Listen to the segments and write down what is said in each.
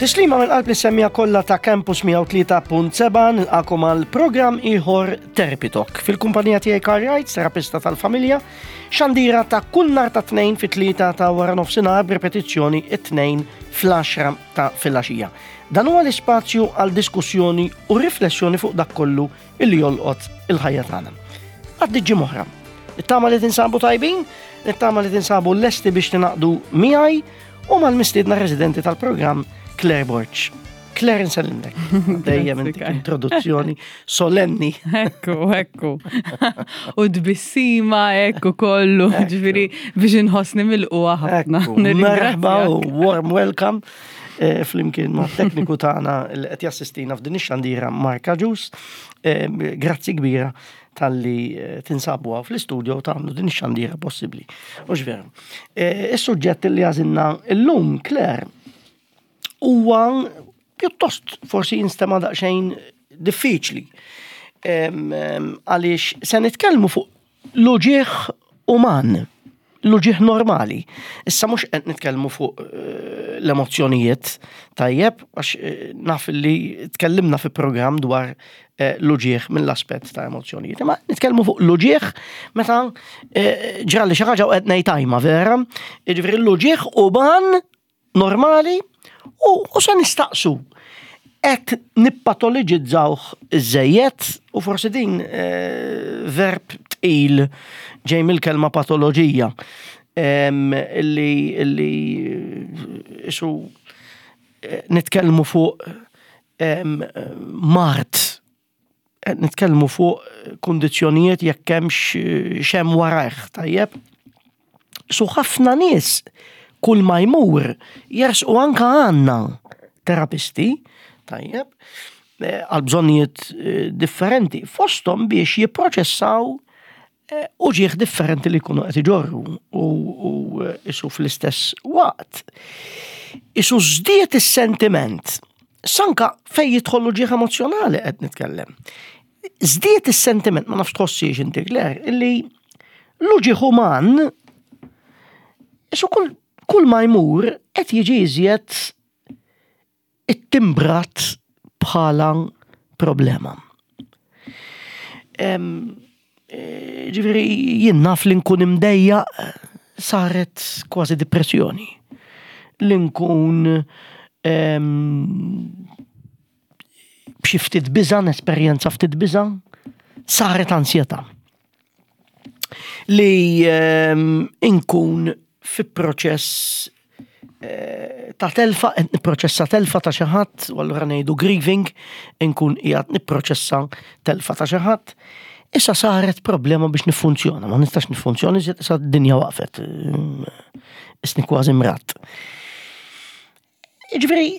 Tislima minn qalb l-semmija kollha ta' Campus 103.7 nilqakom għal programm ieħor Therapy Talk. Fil-kumpanija tiegħi Karl Wright, terapista tal-familja, xandira ta' kull nhar ta' tnejn fit-tlieta ta' wara nofsinhar b'repetizzjoni it-tnejn fl-10 ta' filgħaxija. Dan huwa l-ispazju għal diskussjoni u riflessjoni fuq dak kollu illi jolqot il-ħajja tagħna. Għaddi ġimgħa Nittama li tinsabu tajbin, nittama li tinsabu lesti biex tinaqdu miegħi u mal-mistiedna residenti tal-programm Claire Borg. Claire nsellimlek. Dejjem intik introduzzjoni solenni. Ekku, ekku. U tbissima, ekku kollu, ġifiri biex inħossni mill-qwa ħafna. Merħba u warm welcome eh, flimkien ma' tekniku tagħna li qed jassistina f'din ix-xandira Mark Aġus. Eh, grazzi kbira talli eh, tinsabu għaw fl-istudio u tagħmlu din ix-xandira possibbli. U veru. Eh, is-suġġett li għażilna llum, Claire, huwa pjuttost forsi jinstema' daqsxejn diffiċli. Għaliex se nitkellmu fuq l-uġieħ uman l-uġigħ normali. Issa mhux qed nitkellmu fuq eh, l-emozzjonijiet tajjeb, għax eh, naf li tkellimna fi programm dwar eh, l-uġigħ mill-aspett ta' emozzjonijiet. Imma nitkellmu fuq l-uġigħ meta ġrali xi ħaġa u qed ngħid tajma vera, jiġifieri l-uġigħ uman normali u, u se nistaqsu qed nippatoloġizzawh iżejjed u forsi din eh, verb tqil ġej mill-kelma patoloġija illi illi eh, isu eh, nitkellmu fuq mart Qed nitkellmu fuq kundizzjonijiet jekk hemmx x'hemm warajh, tajjeb? Su ħafna nies kull ma jmur jersqu anka għandna terapisti, tajjeb, eh, għal bżonnijiet eh, differenti, fosthom biex jipproċessaw eh, uġieħ differenti li jkunu qed iġorru u isu fl-istess waqt. Isu żdied is-sentiment sanka fej jidħol uġieħ emozjonali qed nitkellem. Żdied is-sentiment, ma nafx tħossiex inti Claire, illi l-uġieħ uman isu kull, kull ma jmur qed jiġi iżjed ittimbrat bħala problema. E, ġifieri jien naf li nkun imdejjaq saret kważi depressjoni. Li nkun b'xi ftit biża', nesperjenza ftit biża', saret ansjetà. Li inkun fi proċess eh, ta' telfa, qed nipproċessa telfa ta' xi ħadd, u allura ngħidu grieving, inkun qiegħed nipproċessa telfa ta' xi ħadd. Issa saret problema biex niffunzjona, ma nistax niffunzjona, iżjed issa d-dinja waqfet. Isni kważi mrat. Ġifieri,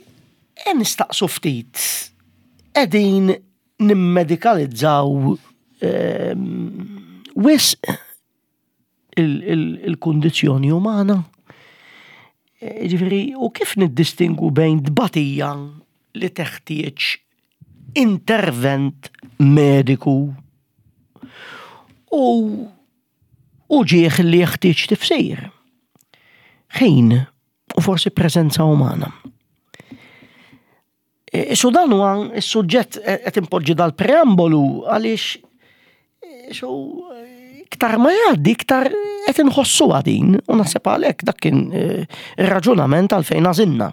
nistaqsu ftit, qegħdin nimmedikalizzaw ehm, wisq il-kundizzjoni umana. E, ġifieri, u kif niddistingu bejn tbatija li teħtieġ intervent mediku u uġieħ li jeħtieġ tifsir. Ħin u forsi preżenza umana. Isu dan huwa s-suġġett qed impoġġi dal-preambolu għaliex isu iktar ma jgħaddi iktar qed inħossuha din u naħseb għalhekk dak kien eh, ir-raġunament għalfejn għażilna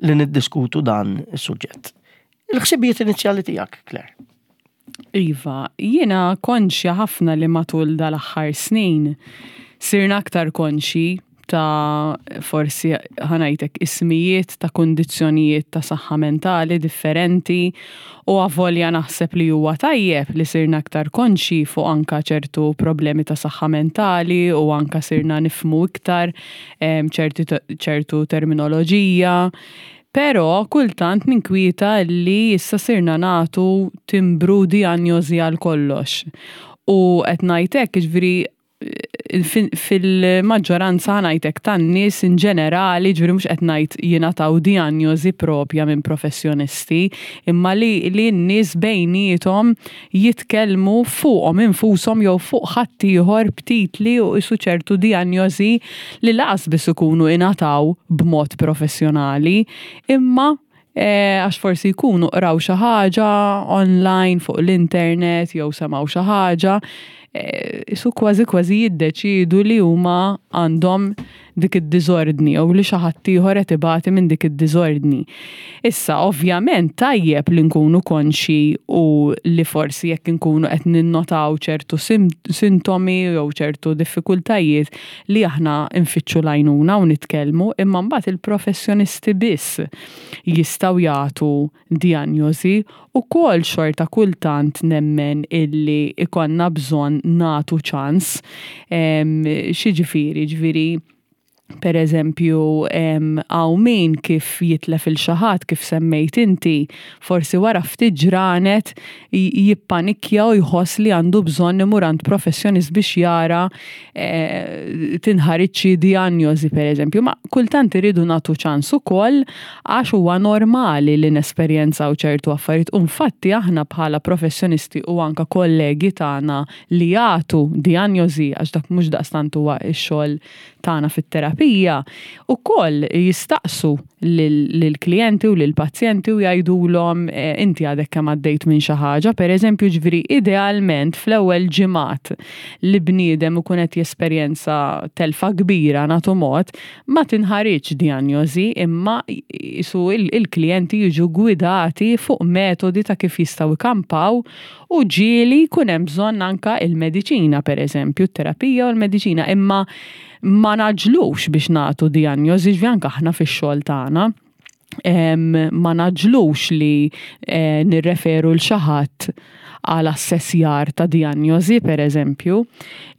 li niddiskutu dan is-suġġett. Il-ħsibijiet inizjali tiegħek, Claire. Iva, jiena konxja ħafna li matul dal-aħħar snin sirna aktar konxji ta' forsi ħanajtek ismijiet ta' kundizzjonijiet ta' saħħa mentali differenti u avolja naħseb li huwa tajjeb li sirna aktar konxji fuq anka ċertu problemi ta' saħħa mentali u anka sirna nifmu iktar ċertu terminoloġija. Però kultant ninkwieta li issa sirna nagħtu timbru dijanjosi għal kollox. U qed ngħid hekk, jiġifieri fil-maġġoranza ngħid hekk tan-nies in ġenerali, ġifieri mhux qed ngħid jingħataw dijanjosi propja minn professjonisti, imma li li n-nies bejniethom jitkellmu fuqhom infushom jew fuq ħaddieħor b'titli u qisu ċertu dijanjosi li laqas biss ikunu ingħataw b'mod professjonali, imma. Għax forsi jkunu qraw xi ħaġa online fuq l-internet jew semgħu xi ħaġa, isu kważi kważi jiddeċiedu li huma għandhom dik id-diżordni jew li xi ħadd ieħor qed ibati minn dik id-diżordni. Issa, ovvjament tajjeb li nkunu konxji u li forsi jekk inkunu qed ninnotaw ċertu sintomi jew ċertu diffikultajiet li aħna nfittxu l-għajnuna u nitkellmu, imma mbagħad il-professjonisti biss jistgħu jagħtu dijanjosi. Ukoll xorta kultant nemmen illi ikollna bżonn nagħtu ċans. X'jiġifieri? Ġifieri per eżempju, hawn min kif jitlef il xi ħadd kif semmejt inti, forsi wara ftit ġranet jippanikkja u jħoss li għandu bżonn imur għand professjonist biex jara tinħariġ xi dijanjosi per eżempju. Ma kultant iridu nagħtu ċans ukoll għax huwa normali li nesperjenzaw ċertu affarijiet u nfatti aħna bħala professjonisti u anka kollegi tagħna li jagħtu dijanjosi għax dak mhux daqstant huwa x-xogħol tagħna fit-terapija, ukoll jistaqsu lill-klijenti u lill-pazjenti u jgħidulhom inti għadek kemm għaddejt minn xi ħaġa, pereżempju, ġifieri idealment fl-ewwel ġimgħat li bniedem ikun qed jesperjenza telfa kbira nagħtu mod, ma tinħariġx dijanjosi imma qisu il-klijenti jiġu gwidati fuq metodi ta' kif jistgħu jkampaw U ġieli jkun hemm bżonn anka il-mediċina, pereżempju, t-terapija u l-mediċina, imma ma naġlux biex nagħtu dijanjosi, ġifieri anke aħna fix-xogħol tagħna ma naġlux li eh, nirreferu l xi ħadd għal assessjar ta' dijanjosi, per eżempju.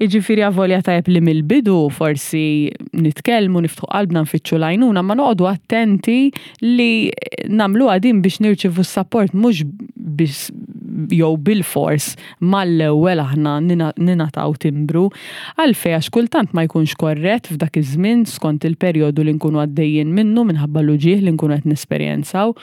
Iġifiri avolja tajb li mill-bidu forsi nitkellmu, niftħu qalbna nfittxu l-għajnuna, ma noqogħdu attenti li nagħmluha din biex nirċivu s-sapport mhux biex jew bil-fors mal-ewwel aħna ninataw timbru. Għalfejn għax kultant ma jkunx korrett f'dak iż-żmien skont il-perjodu li nkunu għaddejjin minnu minħabba l-uġigħ li nkunu qed nesperjenzaw.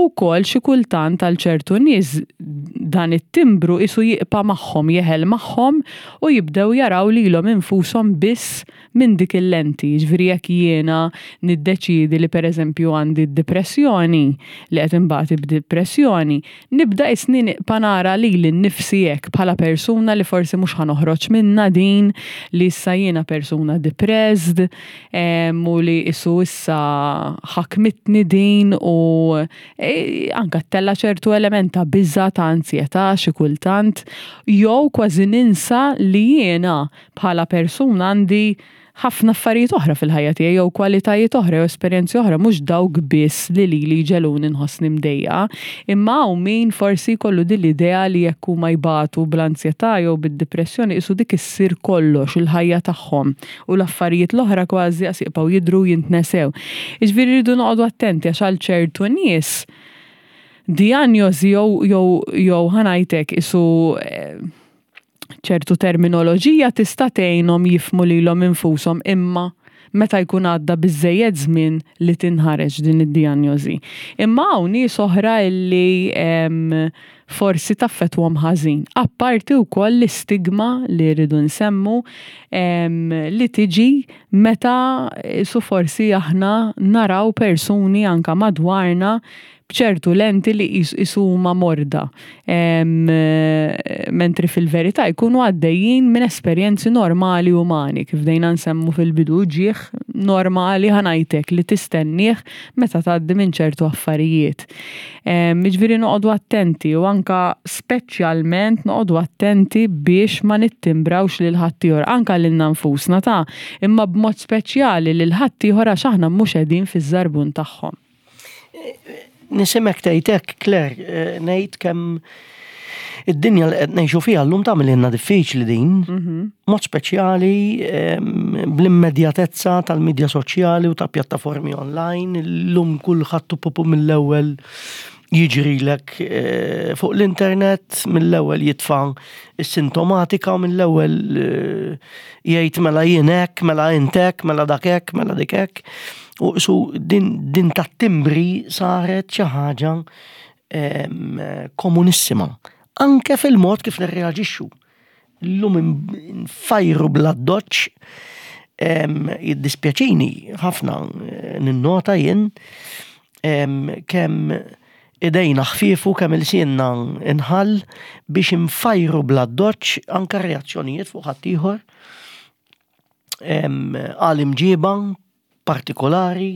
U wkoll xi kultant għal ċertu nies dan it-timbru qisu jibqa' magħhom, jeħel magħhom u jibdew jaraw lilhom infushom biss minn dik il-lenti. Jiġifieri jekk jiena niddeċiedi li pereżempju għandi d-dipressjoni, li qed inbati b'dipressjoni, nibda qisni nibqa' nara lili nnifsi hekk bħala persuna li forsi mhux ħa noħroġ minnha din, li issa jiena persuna depressed, u li qisu issa ħakmitni din u e, anka ttella' ċertu element ta' biża' ta' anzjetà xi kultant, jew kważi ninsa li jiena bħala persuna għandi ħafna affarijiet oħra fil-ħajja tiegħi jew kwalitajiet oħra jew esperjenzi oħra mhux dawk biss li lili jġegħluni nħossni mdejqa. Imma hawn min forsi jkollu din l-idea li jekk huma jbatu bl-anzjetà jew bid-dipressjoni qisu dik issir kollox il-ħajja tagħhom u l-affarijiet l-oħra kważi qas jibqgħu jidhru u jintnesew. Jiġifieri rridu noqogħdu attenti għax għal ċertu nies dijanjosi jew jew jew ħa ngħid hekk qisu ċertu terminoloġija tista' tgħinhom jifhmu lilhom infushom imma meta jkun għadda biżżejjed żmien li tinħareġ din id-dijanjosi. Imma hawn nies oħra illi forsi taffettwahom ħażin. Apparti wkoll l-istigma li rridu nsemmu li tiġi meta su forsi aħna naraw persuni anka madwarna b'ċertu lenti li qisu huma morda. Mentri fil-verità jkunu għaddejjin minn esperjenzi normali umani, kif dejna nsemmu fil-bidu ġieħ normali ħanajtek li tistennieh meta tgħaddi minn ċertu affarijiet. Jiġifieri noqogħdu attenti u anka speċjalment noqogħdu attenti biex ma nittimbrawx lil ħaddieħor, anka lilna nfusna ta' imma b'mod speċjali lil ħaddieħor għax aħna mhux qegħdin fiż-żarbun tagħhom. Nisimek tgħid hekk, Claire, eh, ngħid kemm id-dinja li qed ngħixu fiha llum tagħmel diffiċli din, mhm. mod speċjali ehm, bl-immedjatezza tal-midja soċjali u ta' pjattaformi online, llum kulħadd pupu mill-ewwel jiġrilek eh, fuq l-internet, mill-ewwel jitfa' is-sintomatika u mill-ewwel eh, jgħid mela jien hekk, mela int hekk, mela dak hekk, mela dik hekk. U su din, din tat-timbri saret xi ħaġa komunissima. Anke fil-mod kif nirreaġixxu. Illum nfajru bla doċ jiddispjaċini ħafna eh, ninnota jien. Kemm idejna ħfiefu, kemm ilsienna inħall biex infajru bl-addoċċ anke reazzjonijiet fuq ħaddieħor għal imġiba partikolari,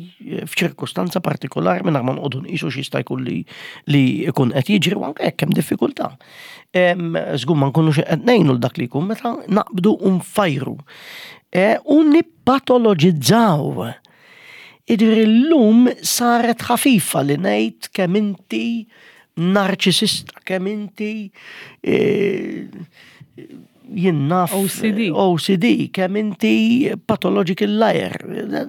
f'ċirkustanza partikolari mingħajr ma noqogħdu nqisu x'jista' jkun li li jkun qed jiġri u anke jekk hemm diffikultà. Żgur ma nkunux qed ngħinu l dak li jkun meta naqbdu u nfajru. E, u nippatoloġizzaw. Jiġifieri llum saret ħafifa li ngħid kemm inti narċisista, kemm inti e, jien naf OCD. OCD, kemm inti pathological liar.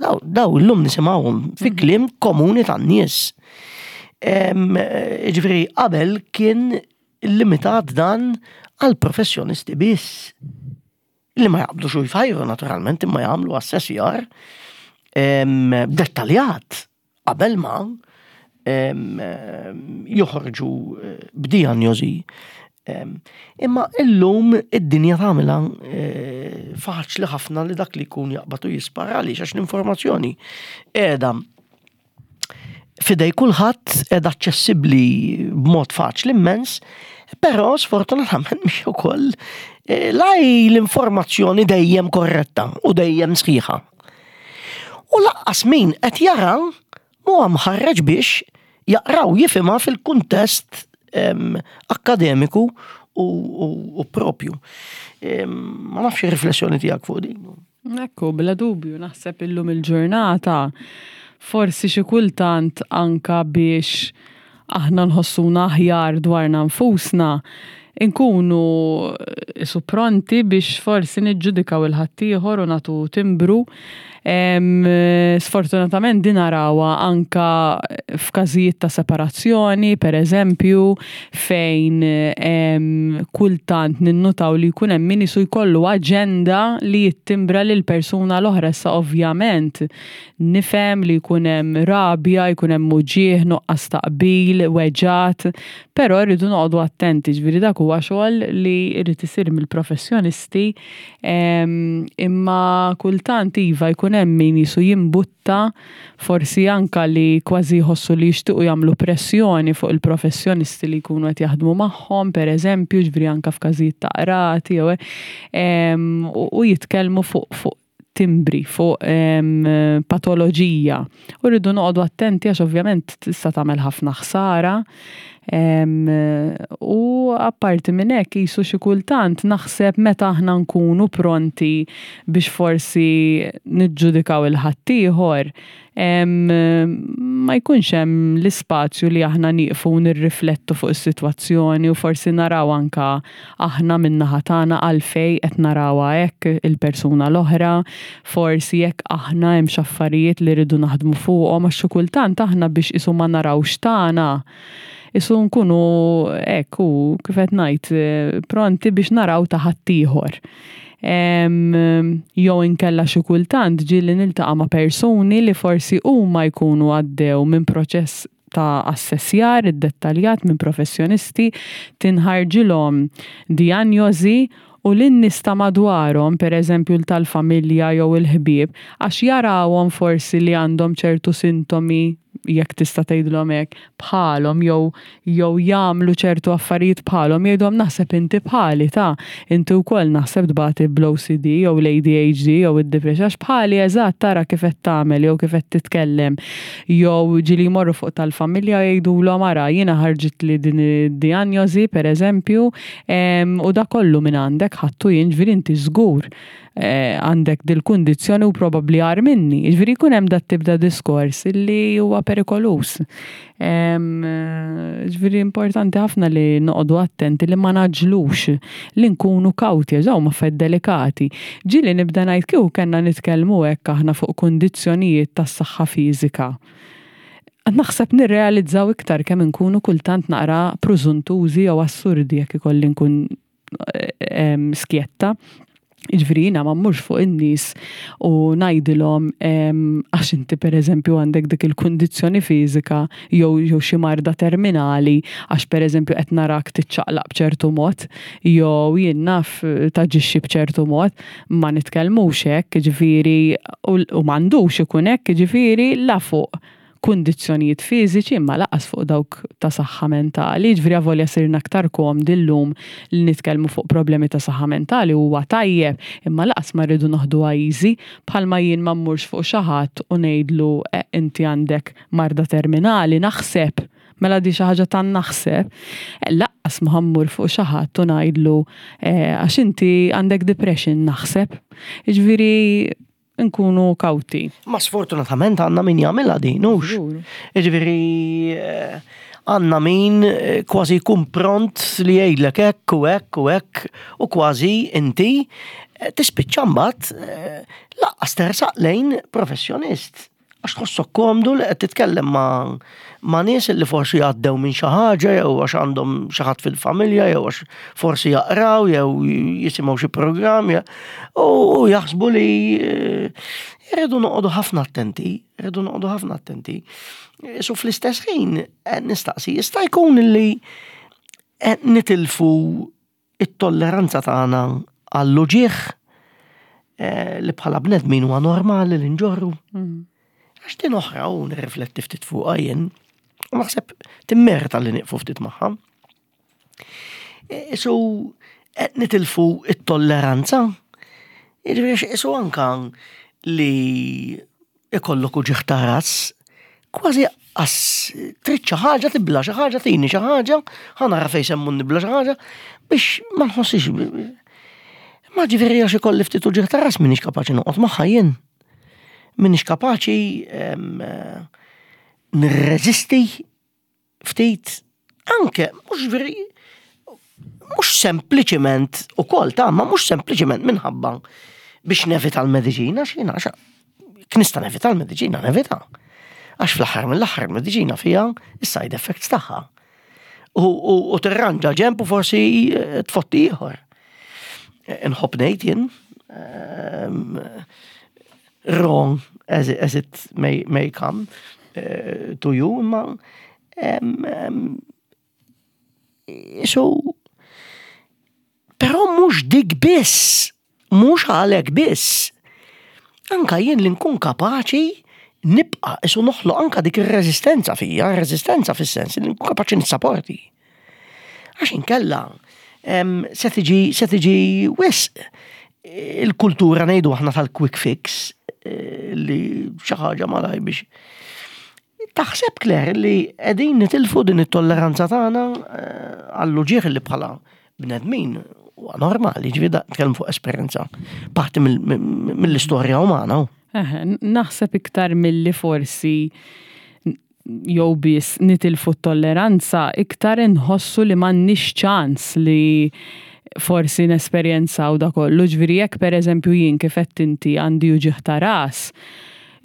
Daw, daw illum nisimgħuhom fi mhm. kliem komuni tan-nies. Ġifieri qabel kien limitat dan għal professjonisti biss. Li ma jaqbdux u jfajru naturalment imma jagħmlu assessjar dettaljat qabel ma joħorġu eh, b'dijanjosi. Imma illum id-dinja tagħmilha eh, faċli ħafna li dak li jkun jaqbad u jispara għaliex għax l-informazzjoni qiegħda fidej kulħadd qiegħda aċċessibbli b'mod faċli immens, però sfortunatament mhix ukoll eh, laj l-informazzjoni dejjem korretta u dejjem sħiħa. U laqqas min qed jara huwa mħarreġ biex jaqraw jifhimha fil-kuntest akkademiku u propju. Ma nafx ir-riflessjoni tiegħek fuq din. Ekku, bla dubju, naħseb illum il-ġurnata forsi xi kultant anka biex aħna nħossuna aħjar dwarna nfusna, inkunu isu pronti biex forsi niġġudikaw il-ħaddieħor u nagħtu timbru. Sfortunatament din narawha anka f'każijiet ta' separazzjoni, per eżempju, fejn kultant ninnutaw li jkun hemm min isu jkollu aġenda li jittimbra lil persuna l-oħra. Issa ovvjament nifhem li jkun hemm rabja, jkun hemm uġigħ, nuqqas ta' qbil, weġgħat, però rridu noqogħdu attenti, ġifieri dak huwa xogħol li jrid isir mill-professjonisti, imma kultant iva jkun hemm min jisu jimbutta forsi anka li kważi jħossu li jixtiequ jagħmlu pressjoni fuq il-professjonisti li jkunu qed jaħdmu magħhom, pereżempju, ġifieri anka f'każijiet ta' qrati jew u jitkellmu fuq timbri fuq patoloġija. U rridu noqogħdu attenti għax ovvjament tista' tagħmel ħafna ħsara. U apparti minn hekk qisu xi kultant naħseb meta aħna nkunu pronti biex forsi niġġudikaw il-ħaddieħor, ma jkunx hemm l-ispazju li aħna nieqfu u nirriflettu fuq is-sitwazzjoni u forsi naraw anka aħna min-naħa tagħna għalfejn qed narawha hekk il-persuna l-oħra, forsi jekk aħna hemm x'affarijiet li rridu naħdmu fuqhom għax xi kultant aħna biex qisu ma narawx tagħna qisu nkunu hekk u kif qed ngħid pronti biex naraw ta' ħaddieħor. Jew inkella xi kultant ġieli niltaqa' ma' persuni li forsi huma jkunu għaddew minn proċess ta' assessjar iddettaljat minn professjonisti, tinħarġilhom dijanjosi u lin-nies ta' madwarhom, pereżempju l tal-familja jew il-ħbieb, għax jarawhom forsi li għandhom ċertu sintomi jekk tista' tgħidilhom hekk, bħalhom jew jew jagħmlu ċertu affarijiet bħalhom jgħidulhom naħseb inti bħali ta' inti wkoll naħseb tbati bl-OCD jew l-ADHD jew id-depression għax bħali eżatt tara kif qed tagħmel jew kif qed titkellem jew ġieli jmorru fuq tal-familja u jgħidulhom ara jiena ħarġitli din id-dijanjosi pereżempju u dak kollu minn għandek ħadtu jien ġifieri inti żgur għandek dil-kundizzjoni u probabbli agħar minni. Jiġifieri jkun hemm dat-tip ta' diskors li huwa perikoluż. Ġifieri importanti ħafna li noqogħdu attenti li ma ngħaġġlux, li nkunu kawti għax dawn huma affarijiet delikati. Ġieli nibda ngħid kieku kellna nitkellmu hekk aħna fuq kundizzjonijiet tas-saħħa fiżika. Naħseb nirrealizzaw iktar kemm inkunu kultant naqra prużuntużi jew assurdi jekk ikolli nkun skjetta. Jiġifieri jiena ma mmurx fuq in-nies u ngħidilhom għax inti pereżempju għandek dik il-kundizzjoni fiżika jew jew xi marda terminali għax pereżempju qed narak tiċċaqlaq b'ċertu mod jew jien naf taġixxi b'ċertu mod, ma nitkellmux hekk, jiġifieri u m'għandux ikun hekk, jiġifieri la fuq. kundizzjonijiet fiżiċi imma lanqas fuq dawk ta' saħħa mentali. Ġifieri avolja sirna aktar komdi llum li nitkellmu fuq problemi ta' saħħa mentali huwa tajjeb, imma lanqas ma rridu noħduha easy, bħalma jien ma mmurx fuq xi ħadd u ngħidlu eh, inti għandek marda terminali, naħseb. Mela di xi ħaġa ta' naħseb. Eh, lanqas ma mmur fuq xi ħadd u ngħidlu eh, għax inti għandek depression naħseb. Jiġifieri nkunu kawti. Ma sfortunatament għandna min jagħmilha din, hux. Jiġifieri eh, għandna min eh, kważi jkun pront li jgħidlek hekk u hekk u hekk u kważi inti eh, tispiċċa mbagħad lanqas tersaq lejn professjonist. Għax tħossok komdu li qed titkellem ma' ma' nies li forsi għaddew minn xi ħaġa jew għax għandhom xi ħadd fil-familja jew għax forsi jaqraw jew jisimgħu xi programm u jaħsbu li eh, irridu noqogħdu ħafna attenti, irridu noqogħdu ħafna attenti. So fl-istess ħin eh, nistaqsi, jista' jkun li eh, nitilfu it-tolleranza tagħna għall-uġigħ eh, li bħala bnedmin huwa normali li nġorru. Mm. Għax din oħra u nirrifletti ftit fuqha jien, u naħseb timmerita li nieqfu ftit magħha. E, isu qed nitilfu it-tolleranza. Jiġifieri isu anka li ikollok uġigħ ta' ras, kważi qas trid xi ħaġa tibla xi ħaġa tini xi ħaġa, ħa nara fejn semmu nibla xi ħaġa biex ma nħossix. Ma ġifieri għax ikolli ftit uġigħ ta' ras m'iniex kapaċi noqgħod magħha jien. M'iniex kapaċi nirreżisti ftit anke mhux veri mhux sempliċiment ukoll ta' ma mhux sempliċiment minħabba biex nevita l-mediċina x'jiena nista' nevita l-mediċina nevita. Għax fl-aħħar mill-aħħar il-mediċina fiha is-side effects tagħha. U tirranġa ġemp u forsi eh, tfotti ieħor. Inħobb ngħid jien ehm, wrong as it, as it may, may come uh, to you, imma um, um, so, però mhux dik biss, mhux għalhekk biss. Anka jien li nkun kapaċi nibqa' isu noħloq anka dik ir-reżistenza fija, reżistenza fis-sens li nkun kapaċi nissaporti. Għax inkella se tiġi se tiġi wisq il-kultura ngħidu aħna tal-quick fix eh, li xi ħaġa malaj biex Taħseb Claire li qegħdin nitilfu din it-tolleranza tagħna eh, għall-uġigħ li bħala bnedmin huwa normali, ġifieri nitkellem fuq esperjenza parti mill-istorja umana. Naħseb iktar milli forsi jew biss nitilfu t-tolleranza, iktar inħossu li m'għandniex ċans li forsi nesperjenzaw da kollu. Ġifieri jekk pereżempju jien kif qed inti għandi uġigħ ta' ras,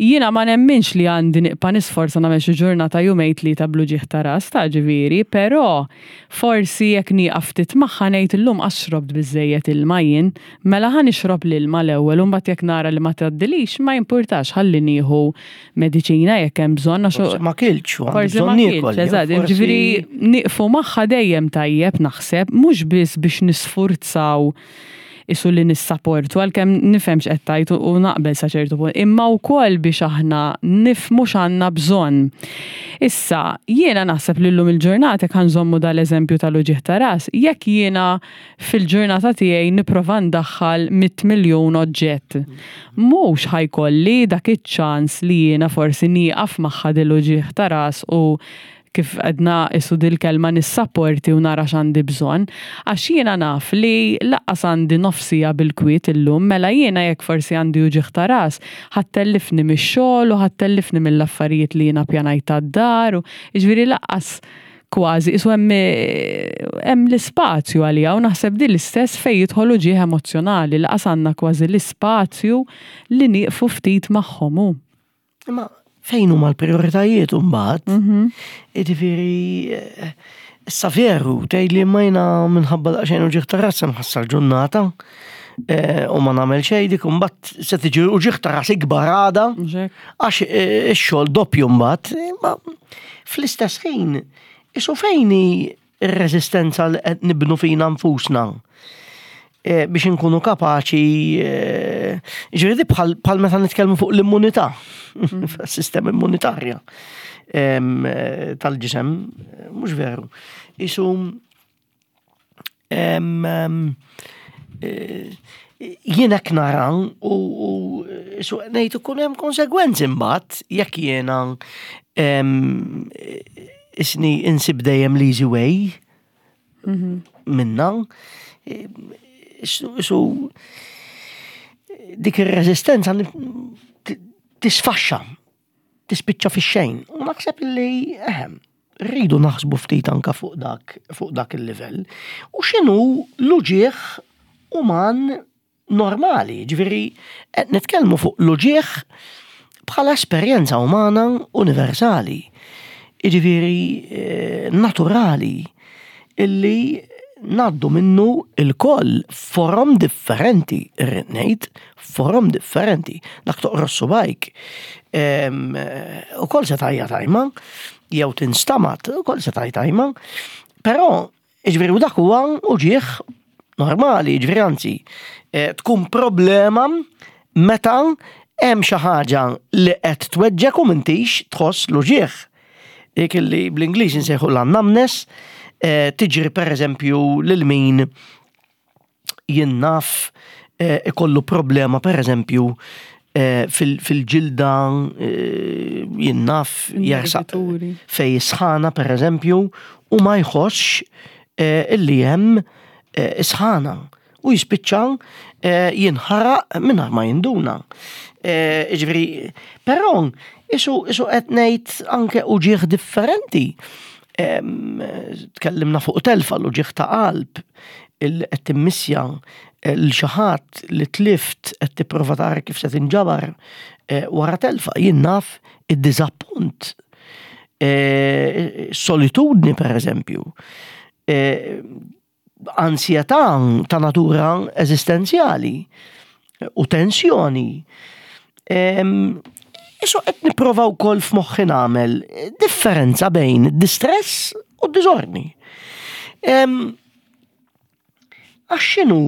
jiena ma nemminx li għandi nibqa' nisforza nagħmel xi ġurnata jumejn tlieta bl-uġigħ ta' ras ta' ġifieri, però forsi jekk nieqaf ftit magħha ngħid illum qas xrobt biżżejjed ilma jien, mela ħa nixrob l-ilma l-ewwel u mbagħad jekk nara li ma tgħaddilix ma jimpurtax ħalli nieħu mediċina jekk hemm bżonn għax Forsi ma kiltx u għandi bżonn niekol. Eżatt, ġifieri nieqfu magħha dejjem tajjeb naħseb, mhux biss biex nisfurzaw isu li nissaportu għalkemm nifhem x'qed tgħid u naqbel sa ċertu punt, imma wkoll biex aħna nifhmu x'għandna bżonn. Issa, jiena naħseb li llum il-ġurnata jekk ħa nżommu dal-eżempju tal-uġigħ ta' ras, jekk jiena fil-ġurnata tiegħi nipprova ndaħħal 100 miljun oġġett. Mhux ħa jkolli dak iċ-ċans li jiena forsi nieqaf magħha dil-uġigħ ta' ras u kif għedna isu dil-kelma nissapporti u nara x'għandi bżonn. Għax jiena naf li lanqas għandi nofs siegħa bil-kwiet illum, mela jiena jekk forsi għandi uġigħ ta' ras, ħa ttellifni mix-xogħol u ħa ttellifni mill-affarijiet li jiena ppjanajt għad-dar u jiġifieri lanqas kważi qisu hemm hemm l-ispazju għaliha u naħseb din l-istess fejn jidħol uġigħ emozzjonali laqas għandna kważi l-ispazju li nieqfu ftit magħhom hu. Imma fejn huma l-prijoritajiet imbagħad? Mhm. Jiġifieri eh, issa veru tgħid li ma jiena minħabba daqsxejn uġigħ ta' ras se nħassar ġurnata eh, u ma nagħmel xejn dik imbagħad se tiġi uġigħ ta' ras ikbar għada għax eh, ix-xogħol doppju mbagħad. Imma fl-istess ħin, isu fejn hi r-reżistenza li qed nibnu fina nfusna? eh, biex inkunu kapaċi eh, ġifieri bħal meta nitkellmu fuq l-immunità, mm. sistema immunitarja eh, tal-ġisem, mhux veru. Isu jien hekk nara u su ngħid ikun hemm konsegwenzi mbagħad jekk jiena isni insib dejjem l-easy way mhm. minna. Su dik ir-reżistenza tisfaxxa, tispiċċa fix-xejn. U naħseb li ehem, rridu naħsbu ftit anka fuq dak fuq dak il-livell. U x'inhu l-uġieħ uman normali, ġifieri qed nitkellmu fuq l-uġieħ bħala esperjenza umana universali, jiġifieri eh, naturali, illi naddu minnu il-koll forom differenti, irrid ngħid, forom differenti. Dak toqros subajk, ehm, u koll se tajja tajma, jew tinstamat, u koll se tajja tajma, però Jiġifieri u dak huwa uġigħ normali, jiġifieri anzi, eh, tkun problema meta hemm xi ħaġa li qed tweġġek u m'intix tħoss l-uġigħ. Dik li bl-Ingliż insejħu l-numbness, eh, tiġri pereżempju lil min jien naf eh, ikollu problema per eżempju eh, fil-ġilda eh, jien naf jersaq fej sħana per eżempju u ma jħossx illi hemm sħana u jispiċċa jinħaraq mingħajr ma jinduna. Ġifieri, però isu isu qed ngħid anke uġieħ differenti. Tkellimna fuq telfa l-uġieħ ta' qalb, il qed timmissja eh, l xi ħadd li tlift qed tipprova tara kif se tinġabar eh, wara telfa. Jien naf id-diżappunt, eh, solitudni per eżempju, ansjetà ta' natura eżistenzjali u tensjoni. Isu qed nipprova wkoll f'moħħi nagħmel differenza bejn distress u diżordni. Għax x'inhu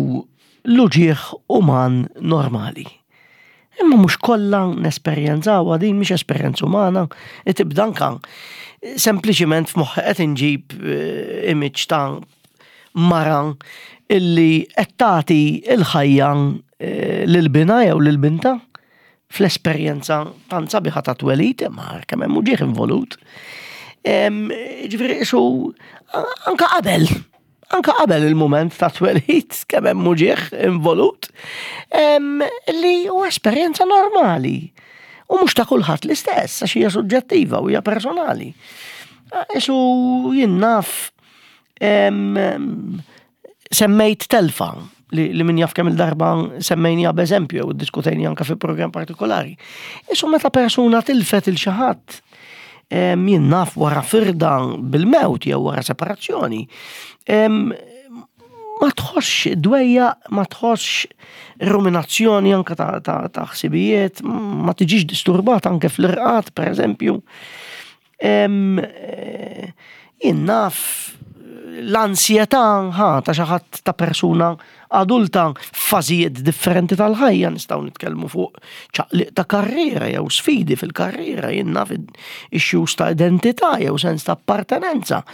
l-uġigħ uman normali? Imma mhux kollha nesperjenzawha din mhix esperjenza umana, li tibda anka sempliċiment f'moħħi qed inġib eh, image ta' mara illi qed tagħti l-ħajja eh, lil binha jew lil binta fl-esperjenza tant sabiħa ta' twelid, imma kemm hemm uġieħ involut. Ġifieri isu anka qabel, anka qabel il-mument ta' twelid kemm hemm uġieħ involut, li huwa esperjenza normali. U mhux ta' kulħadd l-istess, għax hija suġġettiva u hija personali. Isu jien naf Semmejt telfa li, li min jaf kemm il-darba semmejnija b'eżempju jew iddiskutejni anke fi programm partikolari. Isu meta persuna tilfet il xi ħadd jien naf wara firda bil-mewt jew wara separazzjoni, ma tħossx dwejja, ma tħossx ruminazzjoni anke ta', ta, ta ħsibijiet, ma tiġix disturbata anke fl-irqad, per eżempju. Eh, jien naf l-ansjetà ħa ta' xi ħadd ta' persuna adulta f'fażijiet differenti tal-ħajja nistgħu nitkellmu fuq ċaqliq ta' karriera jew sfidi fil-karriera, jien naf issues ta' identità jew sens ta' appartenenza.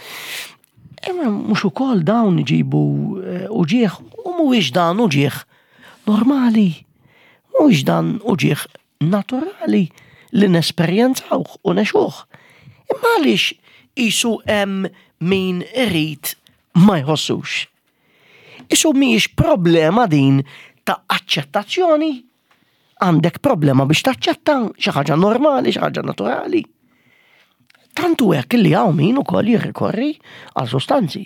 Imma mhux ukoll dawn iġibu eh, uġieħ u mhuwiex dan uġieħ normali. Mhuwiex dan uġieħ naturali li nesperjenzawh u ngħixuh. Imma għaliex qisu hemm min irid ma jħossux? Isu mhijiex problema din ta' aċċettazzjoni? Għandek problema biex taċċetta xi ħaġa normali, xi ħaġa naturali. Tant hu hekk li hawn min ukoll jirrikorri għal sostanzi.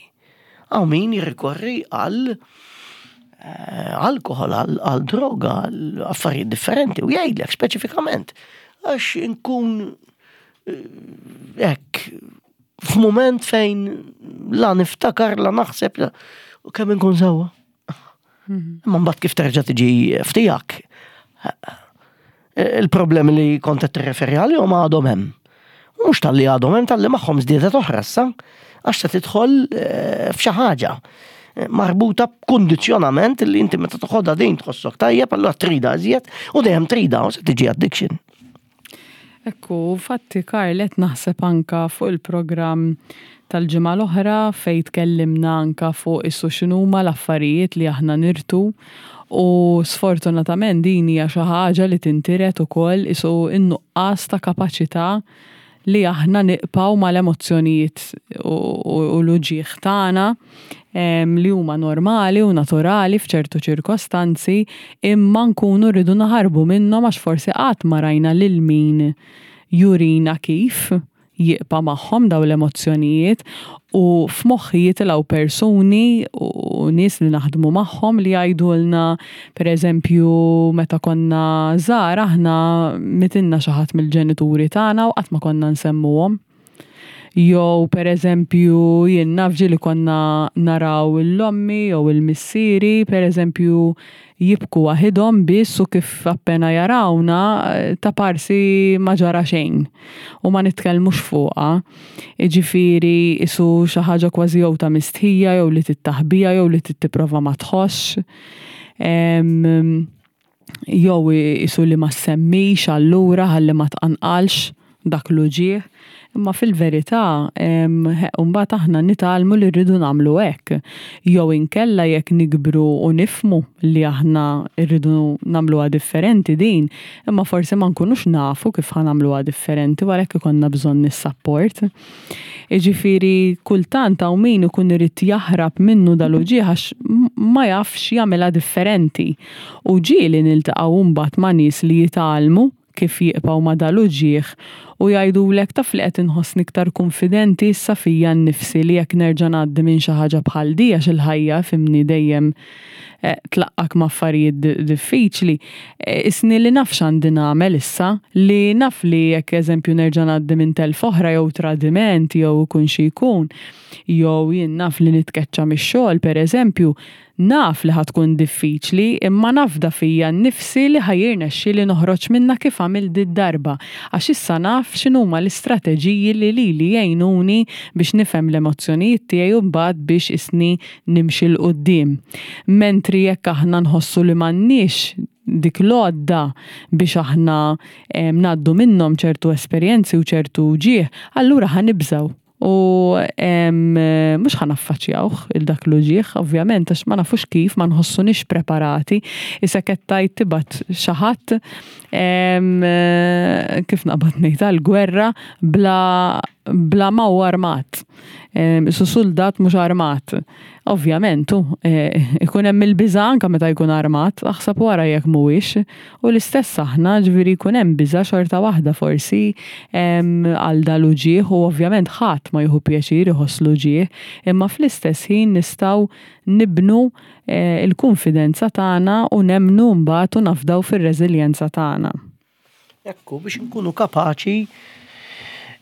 Hawn min jirrikorri għal eh, alkohol, għal droga, għal affarijiet differenti u jgħidlek speċifikament għax inkun eh, hekk f'mument fejn la niftakar, la naħseb, u kemm inkun sewwa. Mhm. Imma mbagħad kif terġa' tiġi ftijak, il-problemi li kont qed tirreferi għalihom għadhom hemm. Mhux talli għadhom hemm talli magħhom żdiedet oħra issa, għax se tidħol eh, f'xi ħaġa. marbuta b'kundizzjonament li inti meta toħodha din tħossok tajjeb, allura trida iżjed u dejjem trida u se tiġi addiction. Ekku, fatti Karl, qed naħseb anka fuq il-programm tal-ġimgħa l-oħra fejn tkellimna anka fuq issu x'inhuma l-affarijiet li aħna nirtu u sfortunatament din hija xi ħaġa li tintiret ukoll isu n-nuqqas ta' kapaċità li aħna nibqgħu mal-emozzjonijiet u l-uġigħ tagħna li huma normali u naturali f'ċertu ċirkostanzi, imma nkunu rridu naħarbu minnhom għax forsi qatt ma rajna lil min jurina kif jibqa' magħhom daw l-emozzjonijiet. U f'moħħi jitilgħu persuni u nies li naħdmu magħhom li jgħidulna, pereżempju, meta konna żgħar aħna mitilna xi ħadd mill-ġenituri tagħna u qatt ma konna nsemmuhom. Jew pereżempju jien naf ġieli konna naraw l-ommi jew il-missieri pereżempju jibku waħidhom biss u kif appena jarawna ta' parsi ma ġara xejn u ma nitkellmux fuqha. Jiġifieri isu xi ħaġa kważi jew ta' mistħija jew li tittaħbija jew li tittiprova ma tħossx. Jew isu li ma semmix allura ħalli ma tqanqalx dak l-uġigħ. Imma fil-verità, mbagħad aħna nitgħallmu li rridu nagħmlu hekk. Jew inkella jekk nikbru u nifmu li aħna rridu nagħmluha differenti din, imma forsi ma nkunux nafu kif ħa nagħmluha differenti u għalhekk ikollna bżonn is-support. Jiġifieri kultant hawn min ikun irid jaħrab minnu dal-uġigħ għax ma jafx jagħmilha differenti. U ġieli niltaqgħu mbagħad ma' nies li jitgħallmu kif jibqgħu ma' dal-uġigħ u jgħidulek, "Taf li qed inħossni iktar konfidenti issa fija nnifsi li jekk nerġa' ngħaddi minn xi ħaġa bħal di, għax il-ħajja, fimni, dejjem tlaqqak ma' affarijiet diffiċli. Isni li naf x'għandi nagħmel issa, li naf li jekk eżempju nerġa' ngħaddi minn telf oħra jew tradiment jew ikun xi jkun, jew jien naf li nitkeċċa mix-xogħol pereżempju, naf li ħa tkun diffiċli, imma nafda fija nnifsi li ħa jirnexxieli noħroġ minnha kif għamilt did-darba, għax issa naf x'inhuma l-istrateġiji li lili jgħinuni biex nifhem l-emozzjonijiet tiegħi u mbagħad biex isni nimxi 'l quddiem." Mentri jekk aħna nħossu li m'għandniex dik l-għodda biex aħna ngħaddu minnhom ċertu esperjenzi u ċertu uġigħ, allura ħa nibżgħu u mhux ħa naffaċċjawh il dak l-uġigħ, ovvjament, għax ma nafux kif, ma nħossunix preparati. Issa qed tgħid tibgħat xi ħadd, kif naqbad ngħid, għall-gwerra bla ma hu armat. Su soldat mhux armat. Ovvjament, ikun hemm il-biża' anke meta jkun armat, aħseb wara jekk mhuwiex. U l-istess aħna, ġifieri jkun hemm biża' xorta waħda forsi għal dal-uġigħ u ovvjament ħadd ma jieħu pjaċir iħoss l-uġigħ, imma fl-istess ħin nistgħu nibnu il-kunfidenza tagħna u nemmnu mbagħad u nafdaw fir-reżiljenza tagħna. Ekku, biex nkunu kapaċi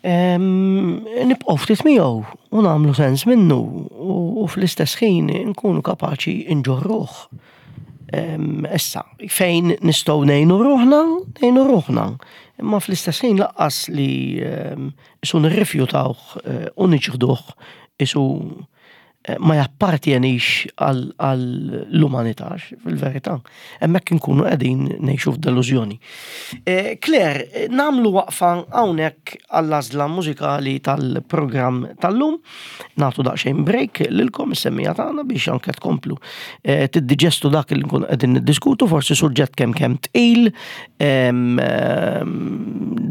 nibqgħu ftit miegħu u nagħmlu sens minnu u fl-istess ħin nkunu kapaċi nġorruh. Issa, fejn nistgħu ngħinu ruħna, ngħinu ruħna. Imma fl-istess ħin lanqas li isu nirrifjutawh u niċħduh isu ma jappartjenix għall-umanità, fil-verità. Hemmhekk inkunu qegħdin ngħixu f'delużjoni. Claire, nagħmlu waqfa hawnhekk għall-għażla mużikali tal-programm tal-lum. Nagħtu daqsxejn break lilkom is-semmiegħa tagħna biex anke tkomplu tiddiġestu dak li nkunu qegħdin niddiskutu, forsi suġġett kemm kemm tqil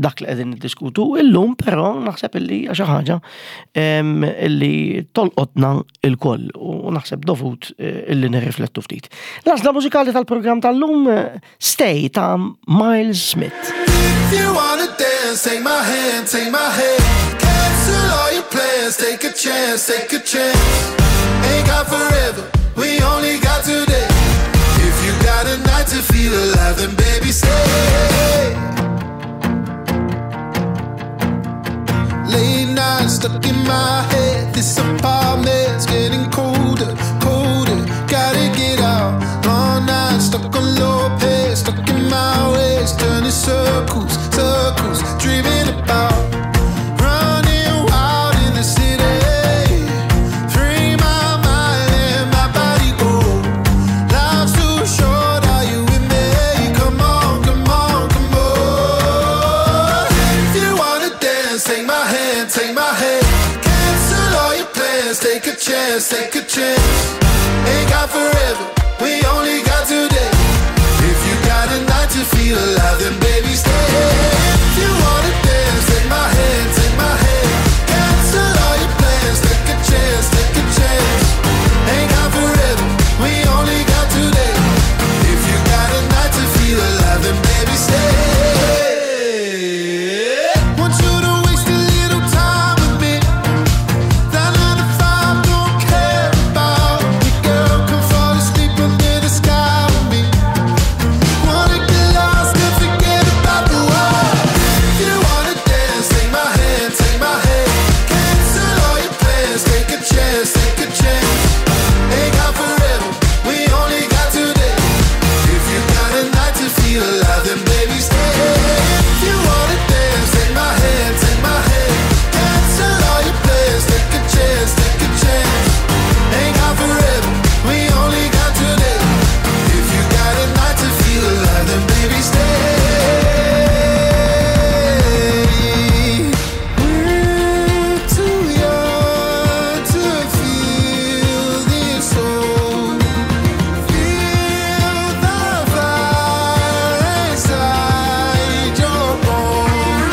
dak li qegħdin niddiskutu illum, però naħseb illi hija xi ħaġa illi tolqotna il-koll u naħseb dovut illi nirriflettu ftit. L-għażla mużikali tal-programm tal-lum, "Stay" ta' Miles Smith. If you wanna dance, take my hand, take my hand. Cancel all your plans, take a chance, take a chance. Ain't got forever, we only got today. If you got a night to feel alive, then baby stay. Late nights stuck in my head. This apartment's getting colder, colder. Gotta get out. Long nights stuck on low pace, stuck in my ways, turning circles, circles, dreaming about running wild in the city. Free my mind and my dance, take a chance. Ain't got forever, we only got today. If you got a night to feel alive, then baby stay. If you wanna dance, take my hand, take my hand. Cancel all your plans, take a chance, take a chance. Ain't got forever, we only got today. If you got a night to feel alive, then baby stay. Want you to waste a little time with me. That 9 to 5 don't care about me, girl. Come fall asleep under the sky with me. Wanna get lost and forget about the world. If you wanna dance, take my hand, take my hand. Cancel all your plans, take a chance, take a chance. Ain't got forever, we only got today. If you got a night to feel alive, then baby stay. If you wanna dance, take my hand, take my hand. Cancel all your plans, take a chance, take a chance. Ain't got forever, we only got today. If you got a night to feel alive, then baby stay. We're too young to feel this old. Feel the fire inside your bones.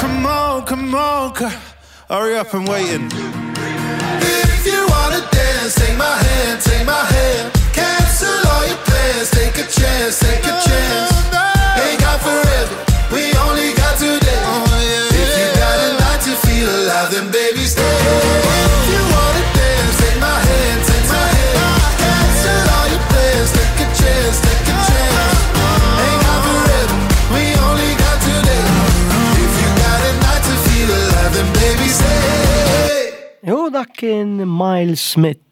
Come on, come on, girl. Hurry up, I'm waiting. If you wanna dance, take my hand, take my hand. Cancel all your plans, take a chance, take a chance. Ain't got forever, we only got today. If you got a night to feel alive, then baby stay. If you wanna dance, take my hand, take my hand. Cancel all your plans, take a chance, take a chance. Ain't got forever, we only got today. If you got a night to feel alive, then baby stay. U dak kien Miles Smith,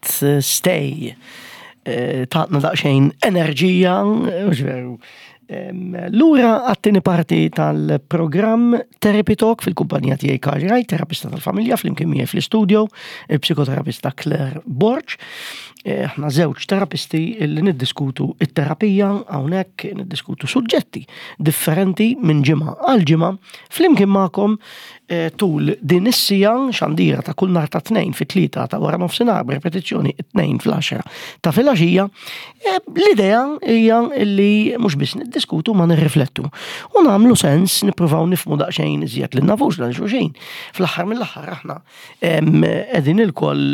Stay. Tatna daqsxejn enerġija, mhux veru. Lura għat-tieni parti tal-programm Therapy Talk fil-kumpanija tiegħi Karl Wright, terapista tal-familja, flimkien miegħi fl-istudio, il-psikoterapista Claire Borg. Aħna żewġ terapisti li niddiskutu it-terapija hawnhekk, niddiskutu suġġetti differenti minn ġimgħa għal ġimgħa flimkien magħkom tul din is-sija xandira ta' kull nhar ta' 2 fit-3 ta' wara nofsinhar b'repetizzjoni 2 fl-10 ta' filgħaxija. L-idea hija li mhux biss niddiskutu ma nirriflettu u nagħmlu sens nippruvaw nifhmu daqsxejn iżjed lil nafux lil xulxin. Fl-aħħar mill-aħħar aħna qegħdin ilkoll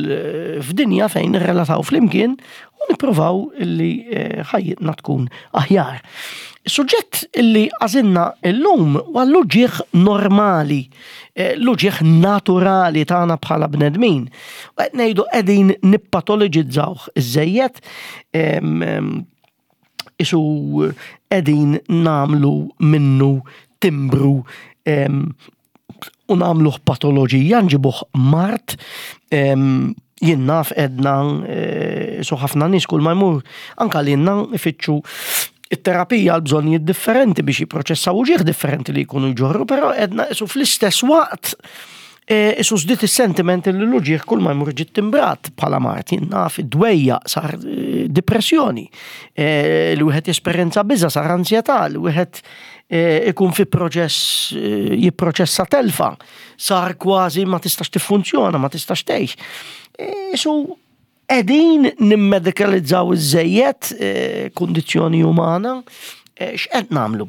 f'dinja fejn nirrelataw flimkien u nippruvaw li ħajjitna tkun aħjar. Suġġett li għażilna llum huwa l-uġigħ normali, l-uġigħ naturali tagħna bħala bnedmin. U qed ngħidu qegħdin nippatoloġizzawh iżżejjed, isu qegħdin nagħmlu minnu timbru u nagħmluh patoloġija, nġibuh mard. Jien naf edna su ħafna nies kull ma jmur anka li jenna ifittxu it-terapija għal bżonnijiet differenti biex jipproċessaw uġigħ differenti li jkunu jġorru, però edna isu fl-istess waqt isu żdied is-sentiment li l-uġigħ kull ma jmur ġiet timbrat bħala mard. Jien naf id-dwejja sar depressjoni, li wieħed jesperjenza biża sar ansjetà, li wieħed ikun fi proċess jipproċessa telfa, sar kważi ma tistax tiffunzjona, ma tistax tgħix. Isu qegħdin nimmedikalizzaw iż-żejjed kundizzjoni umana, x'qed nagħmlu?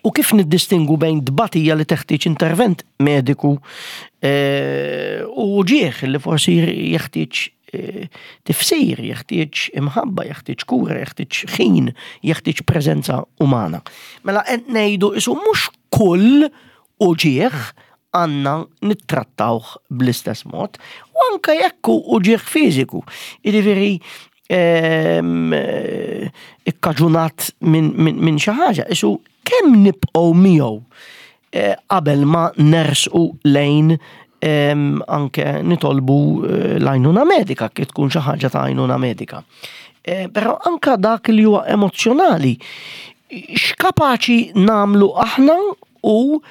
U kif niddistingu bejn tbatija li teħtieġ intervent mediku u uġigħ li forsi jeħtieġ tifsir, jeħtieġ imħabba, jeħtieġ kura, jeħtieġ ħin, jeħtieġ preżenza umana. Mela qed ngħidu isu mhux kull uġigħ għandna nittrattawh bl-istess mod, u anke jekk hu uġigħ fiżiku. Jiġifieri ikkaġunat minn xi ħaġa, isu kemm nibqgħu miegħu qabel ma nersqu lejn anke nitolbu l-għajnuna medika, kif tkun xi ħaġa ta' għajnuna medika. Però anka dak li huwa emozzjonali, x'kapaċi nagħmlu aħna u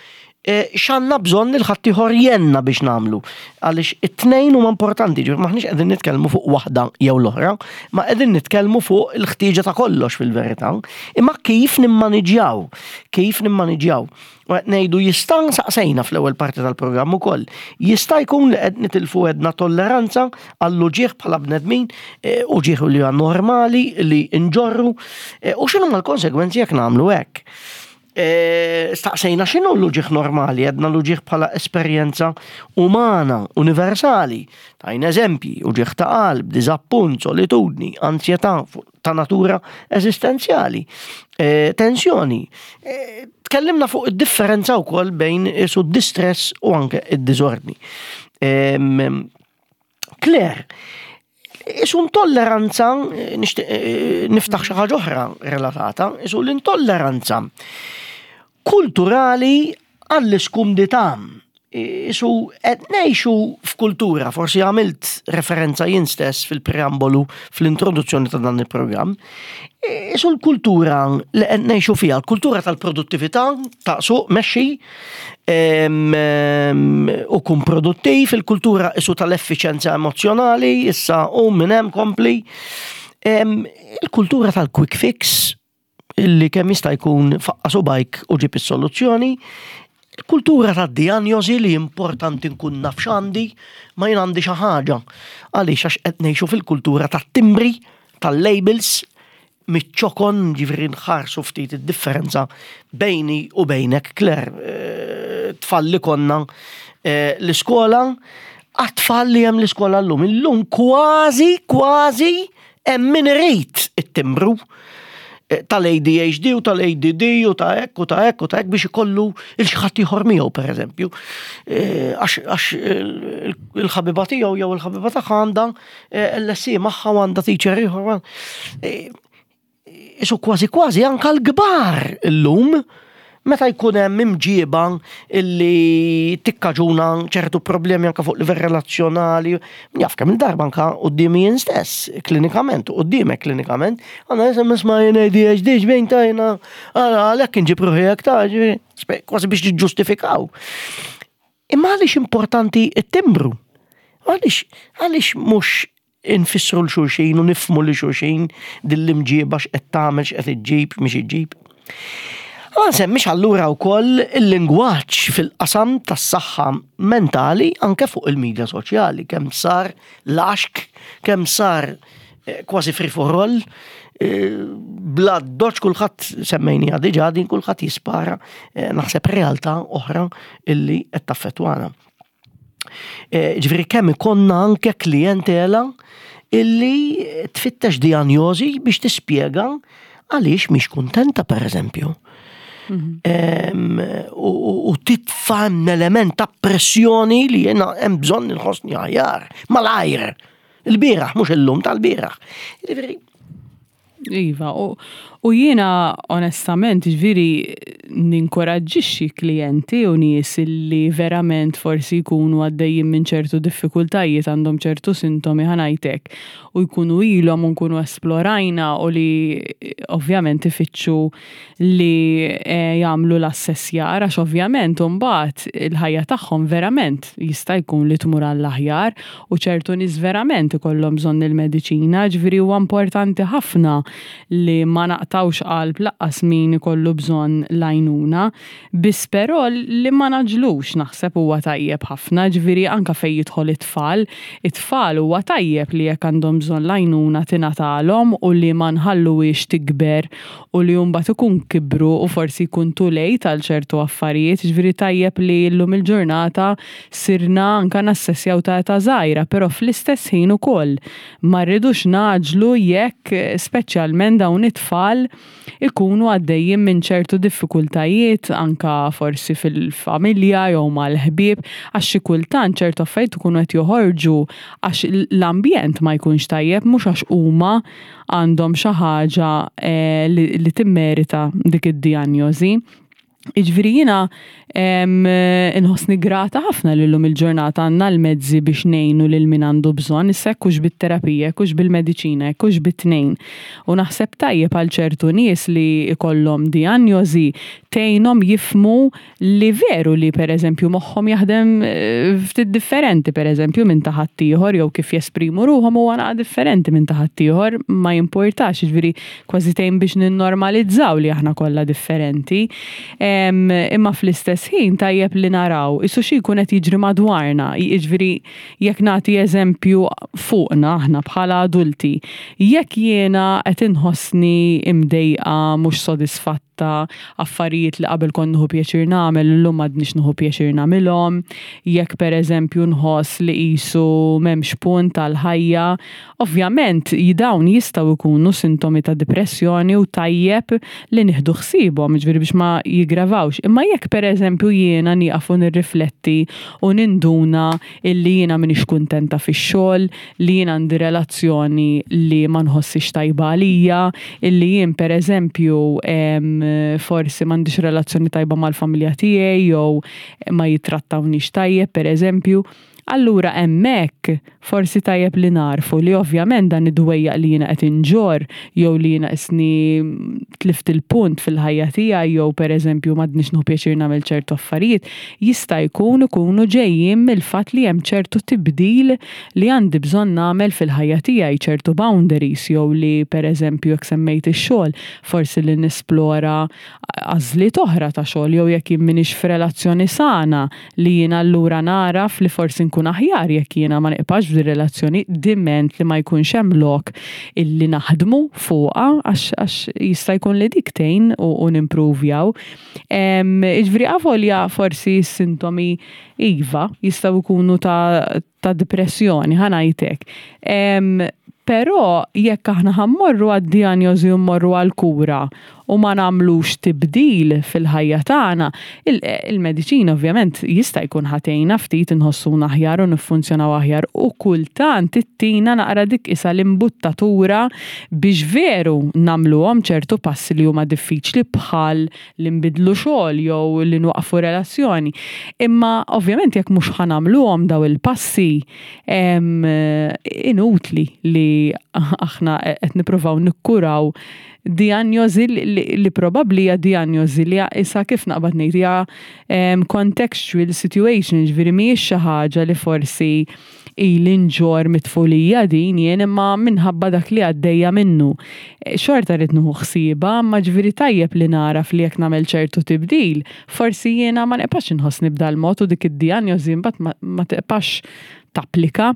Eh, x'għandna bżonn il ħaddieħor jenna biex nagħmlu. Għaliex it-tnejn huma importanti, ġifier maħniex qegħdin nitkellmu fuq waħda jew l-oħra, ma qegħdin nitkellmu fuq il-ħtieġa ta' kollox fil-verità. Imma kif nimmaniġjaw, kif nimmaniġjaw. U qed ngħidu jista' saqsejna fl-ewwel parti tal-programm ukoll. Jista' jkun li qed nitilfu għedna tolleranza għall-uġieħ bħala bnedmin, eh, uġieħ li huwa normali li nġorru, eh, u x'inhuma l-konsegwenzi jekk nagħmlu hekk. E, staqsejna x'inhu l-uġigħ normali, għedna l-uġigħ bħala esperjenza umana, universali. Tajna eżempji, uġigħ ta' qalb, diżappunt, solitudni, ansjetà ta' natura eżistenzjali, e, tensjoni. E, tkellimna fuq id-differenza wkoll bejn isu distress u anke id-diżordni. Claire, isu intolleranza, nixtieq eh, niftaħ xi ħaġa oħra relatata, isu l-intolleranza kulturali għall-iskumdità. Isu qed ngħixu f'kultura, forsi għamilt referenza jien stess fil-preambolu fl-introduzzjoni ta' dan il-programm, isu l-kultura li qed ngħixu fiha, l-kultura tal-produttività, ta' suq mexxi, u kun produttiv, il-kultura isu tal-effiċenza emozjonali, issa u minn hemm kompli. Il-kultura tal-quick fix, illi kemm jista' jkun faqqa subajk u ġib is-soluzzjoni, il-kultura tad-dijanjosi li importanti nkun naf x'għandi, ma jien għandi xi ħaġa. Għaliex għax qed ngħixu fil-kultura tat-timbri, tal-labels, miċ-ċokon, ġifieri nħarsu ftit id-differenza bejni u bejnek, Claire, eh, tfal li konna eh, l-iskola, għat-tfal li hemm l-iskola llum. Illum kważi, kważi hemm min irid it-timbru eh, tal-ADHD u tal-ADD u ta' hekk u ta' hekk u ta' hekk biex ikollu il-xi ħadd ieħor miegħu pereżempju. Għax il-ħabiba tiegħu jew il-ħabiba tagħha għandha Eh, LSE magħha u għandha teacher ieħor. Eh, isu kważi kważi anka l-kbar illum meta jkun hemm imġieba illi tikkaġuna ċertu problemi anka fuq livell relazzjonali, jaf kemm il-darba anka quddiemi jien stess, klinikament, qudiemek klinikament, għandna nisem nisma' jien ADHD xbejn ta' jiena għalhekk inġib ruħi hekk ta' kważi biex niġġustifikaw. Imma għaliex importanti t-timbru? Għaliex għaliex mhux infissru l xulxin u nifmu li xulxin din l-imġieba x'qed tagħmel x'qed iġġib mhix iġġib. Ma nsemmix allura wkoll il-lingwaġġ fil-qasam tas-saħħa mentali anke fuq il-medja soċjali, kemm sar laxk, kemm sar eh, kważi free for all, eh, bla doċ kulħadd semmejnija diġà din kulħadd jispara eh, naħseb realtà oħra illi qed taffettwana. Ġifieri kemm ikonna anke klijentela illi tfittex dijanjosi biex tispjega għaliex mhix kuntenta pereżempju. Mhm. U titfa' element ta' pressjoni li jena hemm bżonn inħossni aħjar malajr. Il-bieraħ, mhux illum tal-bieraħ. Iva, u, u jiena onestament ġviri ninkoraġġixxi klijenti u nies li verament forsi jkunu għaddejjin minn ċertu diffikultajiet għandhom ċertu sintomi ħanajtek u jkunu ilhom u nkunu esplorajna u li ovvjament ifittxu li eh, jagħmlu l-assessjar għax ovvjament imbagħad il-ħajja tagħhom verament jista' jkun li tmur għall-aħjar u ċertu nies verament ikollhom bżonn il-mediċina, ġifieri huwa importanti ħafna li ma naqtgħux qalb laqqas min ikollu bżonn l-għajnuna. Biss però li ma nagħġlux naħseb huwa tajjeb ħafna, ġifieri anke fejn jidħol it-tfal, it-tfal huwa tajjeb li jekk għandhom bżonn l-għajnuna tingħatalhom u li ma nħalluhiex tikber u li mbagħad ikun kibru u forsi jkun too late għal ċertu affarijiet, ġifieri tajjeb li llum il-ġurnata sirna anke nassessjaw ta' età żgħira, però fl-istess ħin ukoll ma rridux ngħaġġlu jekk speċjalment dawn it-tfal ikunu għaddejjin minn ċertu diffikultajiet anke forsi fil-familja jew mal-ħbieb għax xi kultant ċertu affarijiet ikunu qed joħorġu għax l-ambjent ma jkunx tajjeb mhux għax huma għandhom xi ħaġa eh, li timmerita dik id-dijanjosi. Iġviri jina inħossni grata ħafna li llum il-ġurnata għandna l-mezzi biex ngħinu lil min għandu bżonn, issa hekk hux bit-terapija, hekk hux bil-mediċina, hekk hux bit-tnejn. U naħseb tajjeb għal ċertu nies li jkollhom dijanjosi tgħinhom jifhmu li veru li pereżempju moħħhom jaħdem ftit differenti pereżempju minn ta' ħaddieħor jew kif jesprimu ruħhom huwa naqa' differenti minn ta' ħaddieħor ma jimpurtax, jiġifieri kważi tgħin biex ninnormalizzaw li aħna kollha differenti. Imma fl-istess ħin tajjeb li naraw isu xi jkun qed jiġri madwarna, jiġifieri jekk nagħti eżempju fuqna aħna bħala adulti, jekk jiena qed inħossni imdejqa mhux sodisfatta ta' affarijiet li qabel kont nieħu pjaċir nagħmel illum m'għadnix nieħu pjaċir nagħmilhom, jekk pereżempju nħoss li qisu m'hemmx punt għall-ħajja, ovvjament dawn jistgħu jkunu sintomi ta' dipressjoni u tajjeb li nieħdu ħsiebhom, jiġifieri biex ma jiggravawx. Imma jekk pereżempju jiena nieqaf u nirrifletti u ninduna illi jiena m'iniex kuntenta fix-xogħol, li jien għandi relazzjoni li ma nħossix tajba għalija, illi jien pereżempju forsi m'għandix relazzjoni tajba mal-familja tiegħi jew ma jittrattawnix tajjeb pereżempju. Allura hemmhekk forsi tajjeb li nagħrfu li ovvjament dan id-dwejjaq li jiena qed inġorr jew li jiena qisni tlift il-punt fil-ħajja tiegħi jew pereżempju m'għadnix nieħu pjaċir nagħmel ċertu affarijiet, jista' jkun ikunu ġejjin mill-fatt li hemm ċertu tibdil li għandi bżonn nagħmel fil-ħajja tiegħi, ċertu boundaries jew li pereżempju jekk semmejt ix-xogħol, forsi li nesplora għażliet oħra ta' xogħol jew jekk jien m'iniex f'relazzjoni sana li jien allura nagħraf li forsi nkun aħjar jekk jiena ma niqpax f'dir-relazzjoni diment li ma jkunx hemm lok illi naħdmu fuqha għax għax jista' jkun li dik tgħin u, u nimpruvjaw. Jiġifieri avolja forsi s-sintomi iva jistgħu jkunu ta' ta' depressjoni, ħa ngħid hekk. Però jekk aħna ħa mmorru għad-dijanjosi u mmorru għall-kura u ma nagħmlux tibdil fil-ħajja tagħna, il-mediċina ovvjament jista' jkun ħa tgħinna ftit inħossuna aħjar u niffunzjonaw aħjar u kultant ittina naqra dik qisha l-imbuttatura biex veru nagħmluhom ċertu passi li huma diffiċli bħal li nbiddlu xogħol jew li nwaqqfu relazzjoni. Imma ovvjament jekk mhux ħa nagħmluhom daw il-passi inutli li aħna qed nippruvaw nikkuraw dijanjosi li probabbli hija dijanjosi li issa kif naqbad ngħid hija contextual situation, ġifieri mhijiex xi ħaġa li forsi ili nġorr mit-tfulija din jien imma minħabba dak li għaddejja minnu. Xorta rrid nieħu ħsiebha imma ġifieri tajjeb li nagħraf li jekk nagħmel ċertu tibdil, forsi jiena ma nibqax inħossni b'dal-mod u dik id-dijanjosi mbagħad ma tibqax tapplika.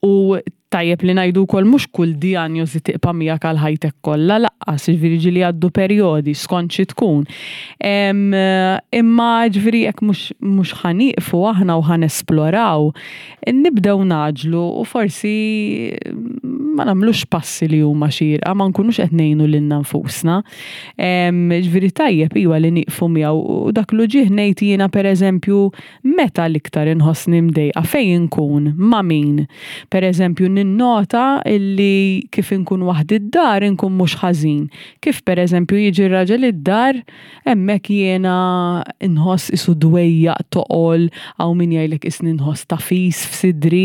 U tajjeb li ngħidu wkoll mhux kull dijanjosi tiqpa' miegħek għal ħajtek kollha laqqas, jiġifieri ġieli jgħaddu perjodi skont xi tkun. Imma ġifieri jekk mhux mhux ħa nieqfu aħna u ħa nesploraw, nibdew ngħaġġlu u forsi ma nagħmlux passi li huma xierqa, ma nkunux qed ngħinu lilna nfusna. Ġifieri tajjeb iwa li nieqfu miegħu u dak l-uġigħ ngħid jiena pereżempju Meta l-iktar inħossni mdejqa? Fejn inkun? Ma' min? Per eżempju, ninnota illi kif inkun waħdi d-dar inkun mhux ħażin. Kif per eżempju jiġi r-raġel id-dar, hemmhekk jiena nħoss qisu dwejjaq toqol, hawn min jgħidlek qisni nħoss tagħfis f'sidri.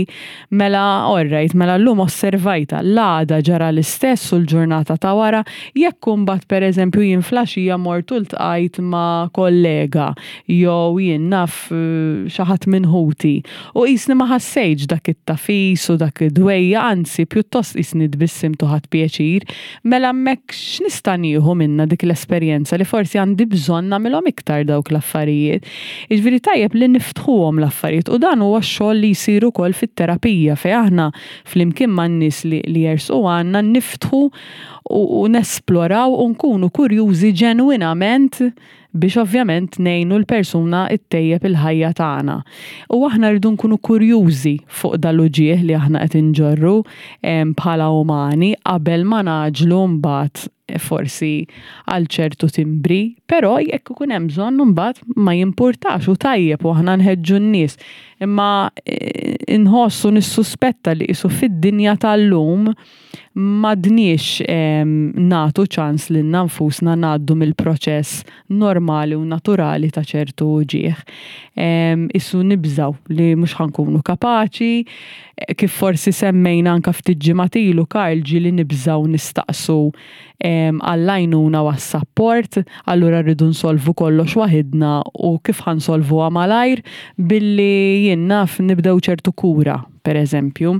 Mela all right, mela llum osservajtha, l-għada ġara l-istess u l-ġurnata ta' wara, jekk imbagħad per eżempju jien fl-għaxija mort u ltqajt ma' kollega jew jien naf xi ħadd minn ħuti u qisni ma ħassejtx dak it-tagħfis u dak id-dwejjaq anzi pjuttost qisni tbissimt u ħadt pjaċir, mela hemmhekk x'nista' nieħu minnha dik l-esperjenza li forsi għandi bżonn nagħmilhom iktar dawk l-affarijiet. Jiġifieri tajjeb li niftħuhom l-affarijiet u dan huwa x-xogħol li jsir ukoll fit-terapija fejn aħna flimkien man-nies li jersqu għandna niftħu u nesploraw u nkunu kurjużi ġenwinament biex ovvjament ngħinu l-persuna ttejjeb il-ħajja tagħna. U aħna rridu nkunu kurjużi fuq dal-uġigħ li aħna qed inġorru bħala umani qabel ma nagħġlu mbagħad forsi għal ċertu timbri. Però jekk ikun hemm bżonn imbagħad ma jimpurtax u tajjeb u aħna nħeġġu n-nies. Imma eh, inħoss u nissuspetta li qisu fid-dinja tal-lum m'għadniex nagħtu ċans lilna nfusna ngħaddu mill-proċess normali u naturali ta' ċertu uġigħ. Isu nibżgħu li mhux ħa nkunu kapaċi, kif forsi semmejna anka ftit ġimgħat ilu Karl ġieli nibżgħu nistaqsu għall-għajnuna u għas-sapport, allura rridu nsolvu kollox waħidna u kif ħa nsolvuha malajr billi jien naf nibdew ċertu kura, per eżempju.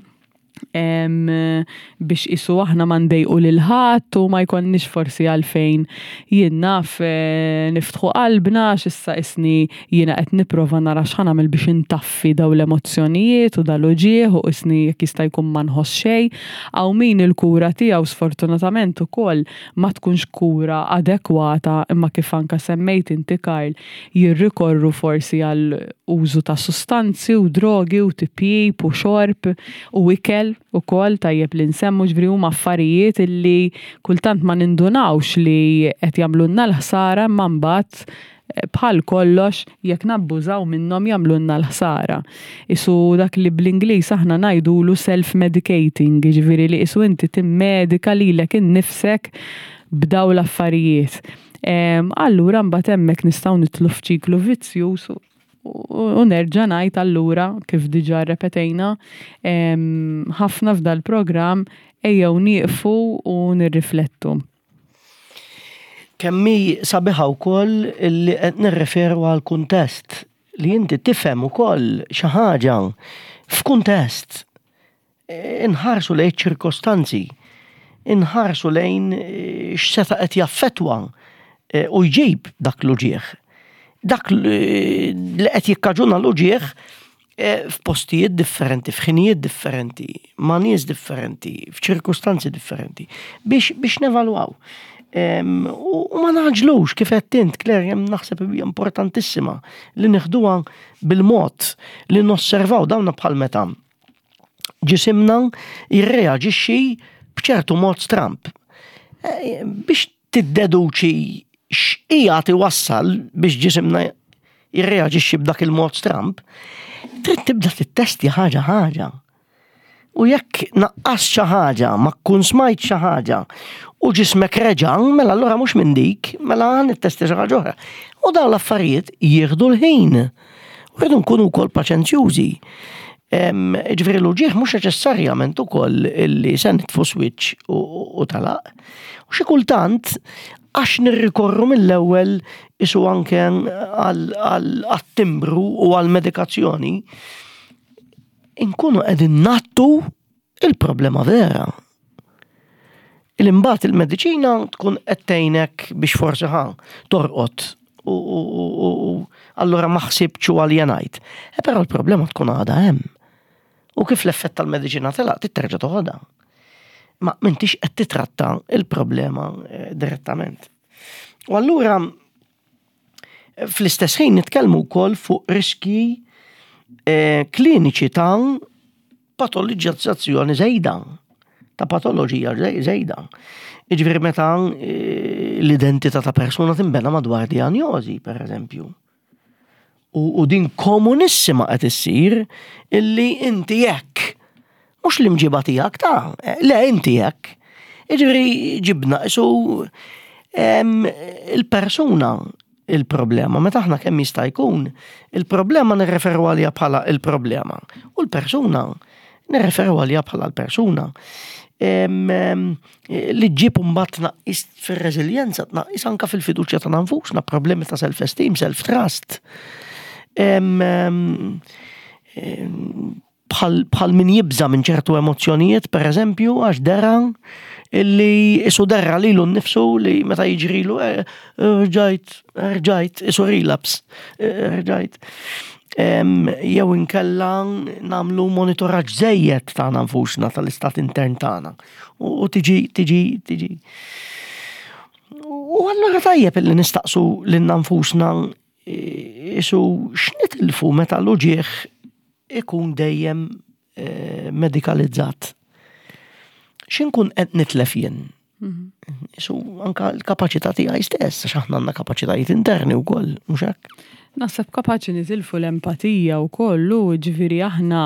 Biex isu aħna ma ndejqu lil ħadd u ma jkollniex forsi għalfejn jien naf eh, niftħu qalbna x'issa isni jiena qed nipprova nara x'ħa nagħmel biex intaffi daw l-emozzjonijiet u dal-uġigħ u isni jekk jista' jkun ma nħoss xejn. Hawn min il-kura tiegħu sfortunatament ukoll ma tkunx kura adekwata imma kif anka semmejt inti Karl jirrikorru forsi għal użu ta' sustanzi u drogi u tipjip u xorb u ikel ukoll tajjeb li nsemmu ġifieri huma affarijiet illi kultant ma nindunawx li qed jagħmlulna l-ħsara imma mbagħad eh, bħal kollox jekk nabbużaw minnhom jagħmlulna l-ħsara. Isu dak li bl-Ingliż aħna ngħidulu self-medicating, jiġifieri li isu inti timmedika lilek innifsek b'daw l-affarijiet. Allura mbagħad hemmhekk nistgħu nidħlu f'ċiklu vizzjuż u nerġa' ngħid allura kif diġà rrepetejna ħafna f'dal-programm ejjew nieqfu u nirriflettu. Kemm hi sabiħa wkoll li qed nirreferu għal kuntest li inti tifhem ukoll xi ħaġa f'kuntest. Inħarsu lejn ċirkostanzi, inħarsu lejn eh, x'seta' qed jaffettwa eh, u jġib dak l-uġieħ. Dak li qed jikkaġuna l-uġieħ eh, f'postijiet differenti, f'ħinijiet differenti, ma' nies differenti, f'ċirkustanzi differenti, biex, biex nevalwaw. U ma naġlux kif qed int, Claire, hemm naħseb hija importantissima li nieħduha bil-mod li nosservaw dawna bħal meta ġisimna jirreaġixxi b'ċertu mod stramb. Eh, biex tiddeduċi x'qiegħed iwassal biex ġisimna jirreaġixxi b'dak il-mod stramb, trid tibda tittesti ħaġa ħaġa. U jekk naqqas xi ħaġa, ma tkun smajt xi ħaġa u ġismek reġa', mela allura mhux minn dik, mela nittesti xi ħaġa oħra. U dawn l-affarijiet jieħdu l-ħin. U rridu nkunu wkoll paċenzjużi. Ġifieri l-uġieħ mhux neċessarjament ukoll illi se nitfu switch u talaq. U xi kultant għax nirrikorru mill-ewwel isu anke għat-timbru u għall-medikazzjoni, inkunu qegħdin nattu il-problema vera. Il-imbagħad il-mediċina tkun qed tgħinek biex forsi ħa torqod u allura ma ħsibtx u aljenajt. E però l-problema tkun għadha hemm. U kif l-effett tal-mediċina telaq titterġa' toħodha. Ma m'intix qed titratta il-problema eh, direttament. U allura fl-istess ħin nitkellmu wkoll fuq riskji eh, kliniċi ta' patoloġizzazzjoni żejda, ta' patoloġija żejda. Jiġifieri meta eh, l-identità ta' persuna tinbena madwar dijanjosi, per eżempju. U, u din komunissima qed issir illi inti hekk. Mhux l-imġiba tiegħek ta' eh, le inti hekk. Jiġifieri ġibna isu il-persuna il-problema, meta aħna kemm jista' jkun, il-problema nirreferu għaliha bħala il-problema u l-persuna nirreferu għaliha bħala l-persuna. Li ġġib mbagħad tnaqqis fir-reżiljenza, tnaqqis anka fil-fiduċja ta' nfusna, problemi ta' self-esteem, self-trust. Bħal min jibża minn ċertu emozzjonijiet, per eżempju, għax dera illi isu derra lilu nnifsu li meta jiġrilu eh, rġajt, rġajt, isu relapse, eh, rġajt. Jew inkella namlu monitoraġġ żejjed tagħna nfusna tal-istat intern tagħna. U tiġi, tiġi, tiġi. U allura tajjeb illi nistaqsu lilna nfusna isu x'nitilfu meta l-uġieħ ikun dejjem eh, medikalizzat. X'inkun qed nitlef jien? Isu anka l-kapaċità tiegħi stess, għax aħna għandna kapaċitajiet interni wkoll, mhux hekk? Naħseb kapaċi nitilfu l-empatija wkoll u ġifieri aħna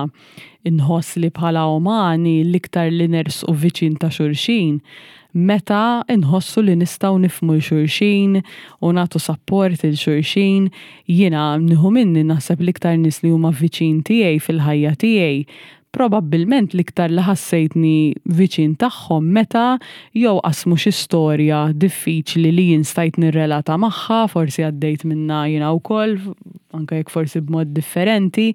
nħoss li bħala umani l-iktar li nersqu viċin ta' xulxin meta nħossu li nistgħu nifhmu 'l xulxin u nagħtu sapport 'il xulxin. Jiena nieħu minni naħseb l-iktar nies li huma viċin tiegħi fil-ħajja tiegħi Probabbilment l-iktar li ħassejtni viċin tagħhom meta jew qasmu xi storja diffiċli li jien stajt nirrelata magħha, forsi għaddejt minnha jiena wkoll, anke jekk forsi b'mod differenti,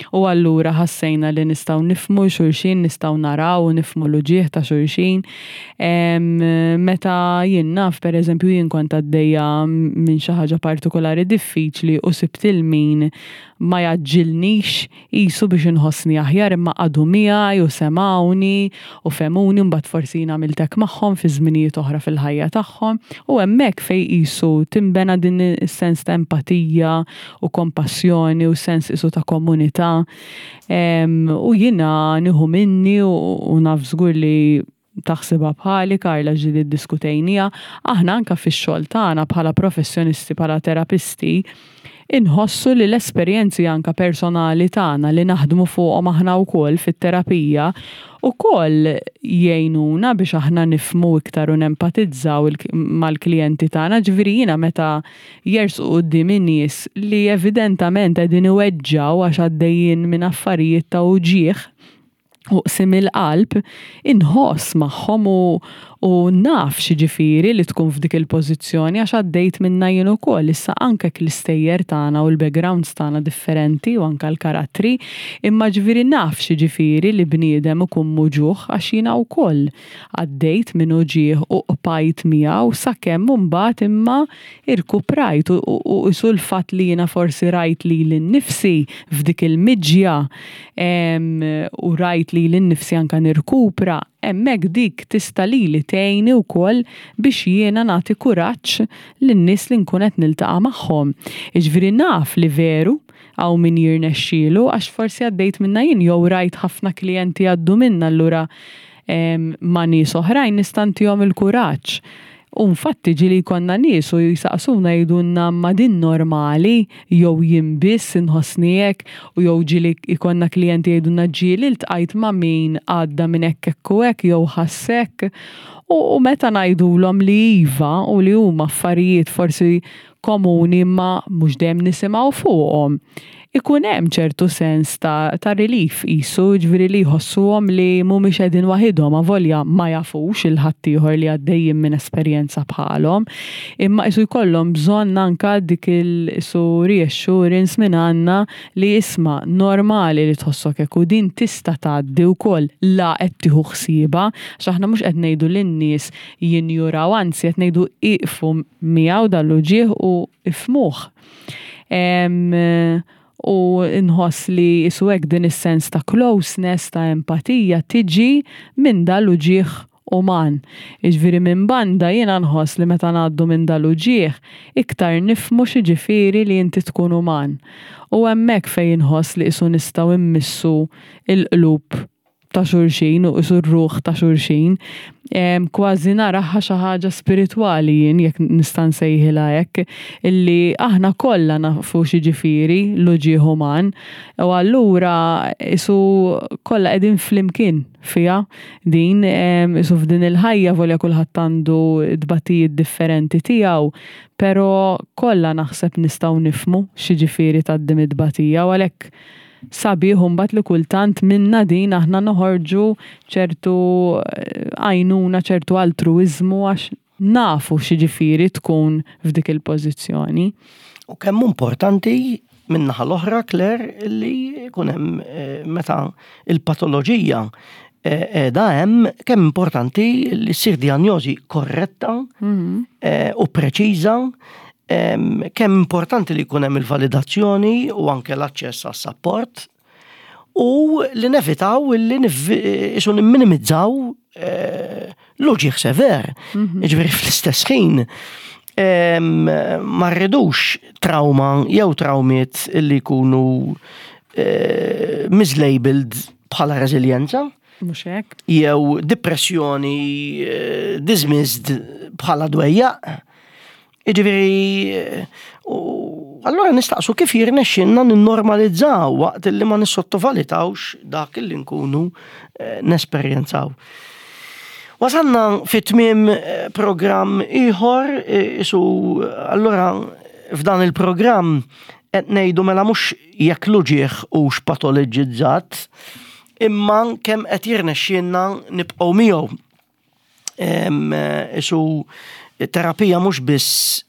u allura ħassejna li nistgħu nifhmu 'l xulxin, nistgħu naraw u nifhmu l-uġigħ ta' xulxin. Meta jien naf, pereżempju, jien kont għaddejja minn xi ħaġa partikolari diffiċli u sibt 'il min ma jgħaġġilnix qisu biex inħossni aħjar imma qagħdu miegħi u semgħuni u fehmuni mbagħad forsi jien għamilt hekk magħhom fi żminijiet oħra fil-ħajja tagħhom u hemmhekk fejn qisu tinbena din is-sens ta' empatija u kompassjoni u sens qisu ta' komunità u jiena nieħu minni u naf żgur li taħsibha bħali Karla ġieli ddiskutejniha, aħna anke fix-xogħol tagħna bħala professjonisti, bħala terapisti, inħossu li l-esperjenzi anke personali tagħna li naħdmu fuqhom aħna wkoll fit-terapija ukoll jgħinuna biex aħna nifhmu iktar u nempatizzaw mal-klijenti tagħna. Ġifieri jiena meta jersqu quddiemi nies li evidentament qegħdin iweġġgħu għax għaddejjin minn affarijiet ta' uġigħ, u qsim il-qalb, inħoss magħhom u u naf x'jiġifieri li tkun f'dik il-pożizzjoni għax għaddejt minnha jien ukoll. Issa anke jekk l-istejjer tagħna u l-backgrounds tagħna differenti u anke l-karattri, imma ġifieri naf x'jiġifieri li bniedem ikun muġugħ għax jiena wkoll għaddejt minn uġigħ u qbajt miegħu sakemm imbagħad imma irkuprajt u u qisu l-fatt li jiena forsi rajt lili nnifsi f'dik il-miġja u rajt lili nnifsi anke nirkupra, hemmhekk dik tista' lili tgħinni wkoll biex jiena nagħti kuraġġ lin-nies li nkun qed niltaqa' magħhom. Jiġifieri naf li veru hawn min jirnexxielu għax forsi għaddejt minnha jien jew rajt ħafna klijenti jgħaddu minnha allura ma' nies oħrajn nista' ntihom il-kuraġġ. U nfatti ġieli jkollna nies u jsaqsuna jgħidulna imma din normali jew jien biss inħossni hekk u jew ġieli jkollna klijenti jgħidulna ġieli ltqajt ma' min għadda minn hekk hekk u hekk jew ħass hekk. U meta ngħidulhom li iva u li huma affarijiet forsi komuni imma mhux dejjem nisimgħu fuqhom. Ikun hemm ċertu sens ta' ta' relief qisu, jiġifieri li jħossuhom li mhumiex qegħdin waħidhom avolja ma jafux 'il ħaddieħor li għaddejjin minn esperjenza bħalhom, imma qisu jkollhom bżonn anke dik il qisu reassurance minn għandna li isma' normali li tħossok hekk u din tista' tgħaddi wkoll la qed tieħu ħsiebha, għax aħna mhux qed ngħidu lin-nies jinjuraw, anzi qed ngħidu ieqfu miegħu dan l-uġigħ u ifhmuh. U nħoss li qisu hekk din is-sens ta' closeness, ta' empatija tiġi minn dan l-uġigħ uman. Jiġifieri minn banda jiena nħoss li meta ngħaddu minn dan l-uġigħ iktar nifhmu x'jiġifieri li inti tkun uman. U hemmhekk fejn inħoss li qisu nistgħu mmissu l-qlub ta' xulxin u qisu r-ruħ ta' xulxin. Kważi naraha xi ħaġa spiritwali jien jekk nista' nsejħilha hekk, illi aħna kollha nafu x'jiġifieri l-uġigħ uman u allura qisu kollha qegħdin flimkien fiha din qisu f'din il-ħajja volja kulħadd għandu tbatijiet differenti tiegħu, però kollha naħseb nistgħu nifhmu x'jiġifieri tgħaddi mit-tbatija u għalhekk Sabiħ imbagħad li kultant minna din aħna noħorġu ċertu għajnuna, ċertu altruwiżmu għax nafu x'jiġifieri tkun f'dik il-pożizzjoni. U kemm hu importanti min-naħa l-oħra, Claire, li jkun hemm meta l-patoloġija qiegħda hemm, kemm importanti li ssir dijanjosi korretta u preċiża Kemm importanti li jkun hemm il-validazzjoni u anke l-aċċess għas-sapport u li nevitaw li isu nimminimizzaw eh, l-uġieħ sever. Mhm. Ġifieri fl-istess ħin ma rridux trauma jew traumiet li jkunu eh, mislabeled bħala reżiljenza. Mhux hekk? Jew depressjoni eh, dismissed bħala dwejjaq. Jiġifieri eh, u allura nistaqsu kif jirnexxinna ninnormalizzaw waqt li ma nissottovalutawx dak li nkunu eh, nesperjenzaw. Wasalna fi tmiem eh, programm ieħor, isu allura f'dan il-programm qed ngħidu mela mhux jekk l-uġigħ hux patoloġizzat, imma kemm qed jirnexxielna nibqgħu miegħu. Isu terapija mhux biss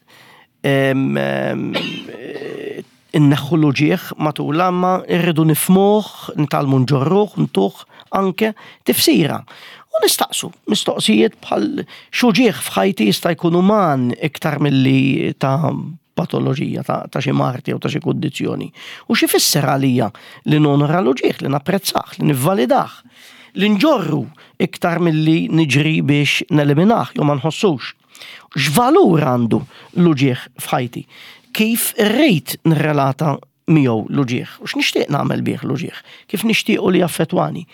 inneħħu l-uġigħ matul imma rridu nifhmuh, nitgħallmu nġorruh, ntuh anke tifsira. U nistaqsu mistoqsijiet bħal x'uġigħ f'ħajti jista' jkun uman iktar milli ta' patoloġija ta' xi mard jew ta' xi kundizzjoni. U x'ifisser għalija li nonora l-uġigħ, li napprezzah, li nivvalidah, li nġorru iktar milli niġri biex neliminah jew ma nħossux. X'valur għandu l-uġigħ f'ħajti? Kif irrid nirrelata miegħu l-uġigħ? U x'nixtieq nagħmel bih l-uġigħ? Kif nixtiequ li jaffettwani?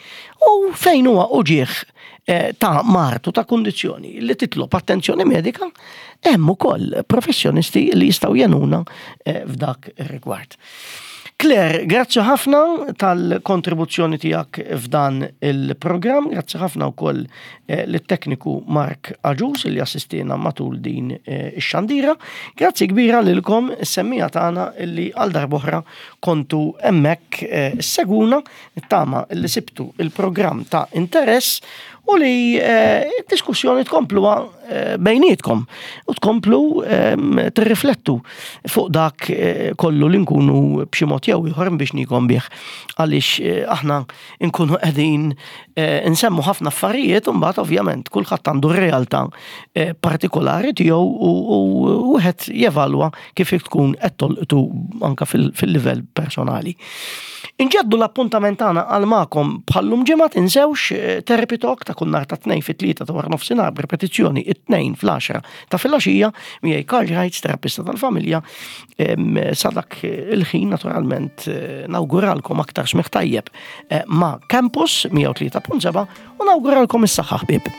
U fejn huwa uġigħ eh, ta' mard u ta' kundizzjoni li titlob attenzjoni medika, hemm ukoll professjonisti li jistgħu jenuna eh, f'dak ir-rigward. Claire, grazzi ħafna tal-kontribuzzjoni tiegħek f'dan il-programm, grazzi ħafna wkoll eh, lit-tekniku Mark Aġus li assistina matul din eh, ix-xandira. Grazzi kbira lilkom is-semmija tagħna illi għal darb'oħra kontu hemmhekk eh, seguna nittama li sibtu il-programm ta' interess u li d-diskussjoni tkompluha bejnietkom u tkomplu ehm, tirriflettu fuq dak eh, kollu li nkunu b'xi mod jew ieħor biex nikom bih għaliex eh, aħna nkunu qegħdin eh, nsemmu ħafna affarijiet u mbagħad ovvjament kulħadd għandu r-realtà partikolari tiegħu u wieħed jevalwa kif tkun qed tolqtu anka fil-livell personali. Inġeddu l-appuntament tagħna għal magħkom bħallum ġimgħa tinsewx eh, Therapy Talk ta' kull nhar ta' tnejn fit-tlieta ta' wara nofsinhar b'repetizzjoni it-tnejn fl-10 ta' filgħaxija miegħi Karl Reitz, terapista tal-familja. Sa dak il-ħin naturalment eh, nawguralkom aktar smigħ tajjeb eh, ma' Campus 103.7 u nawguralkom is-saħħa ħbieb.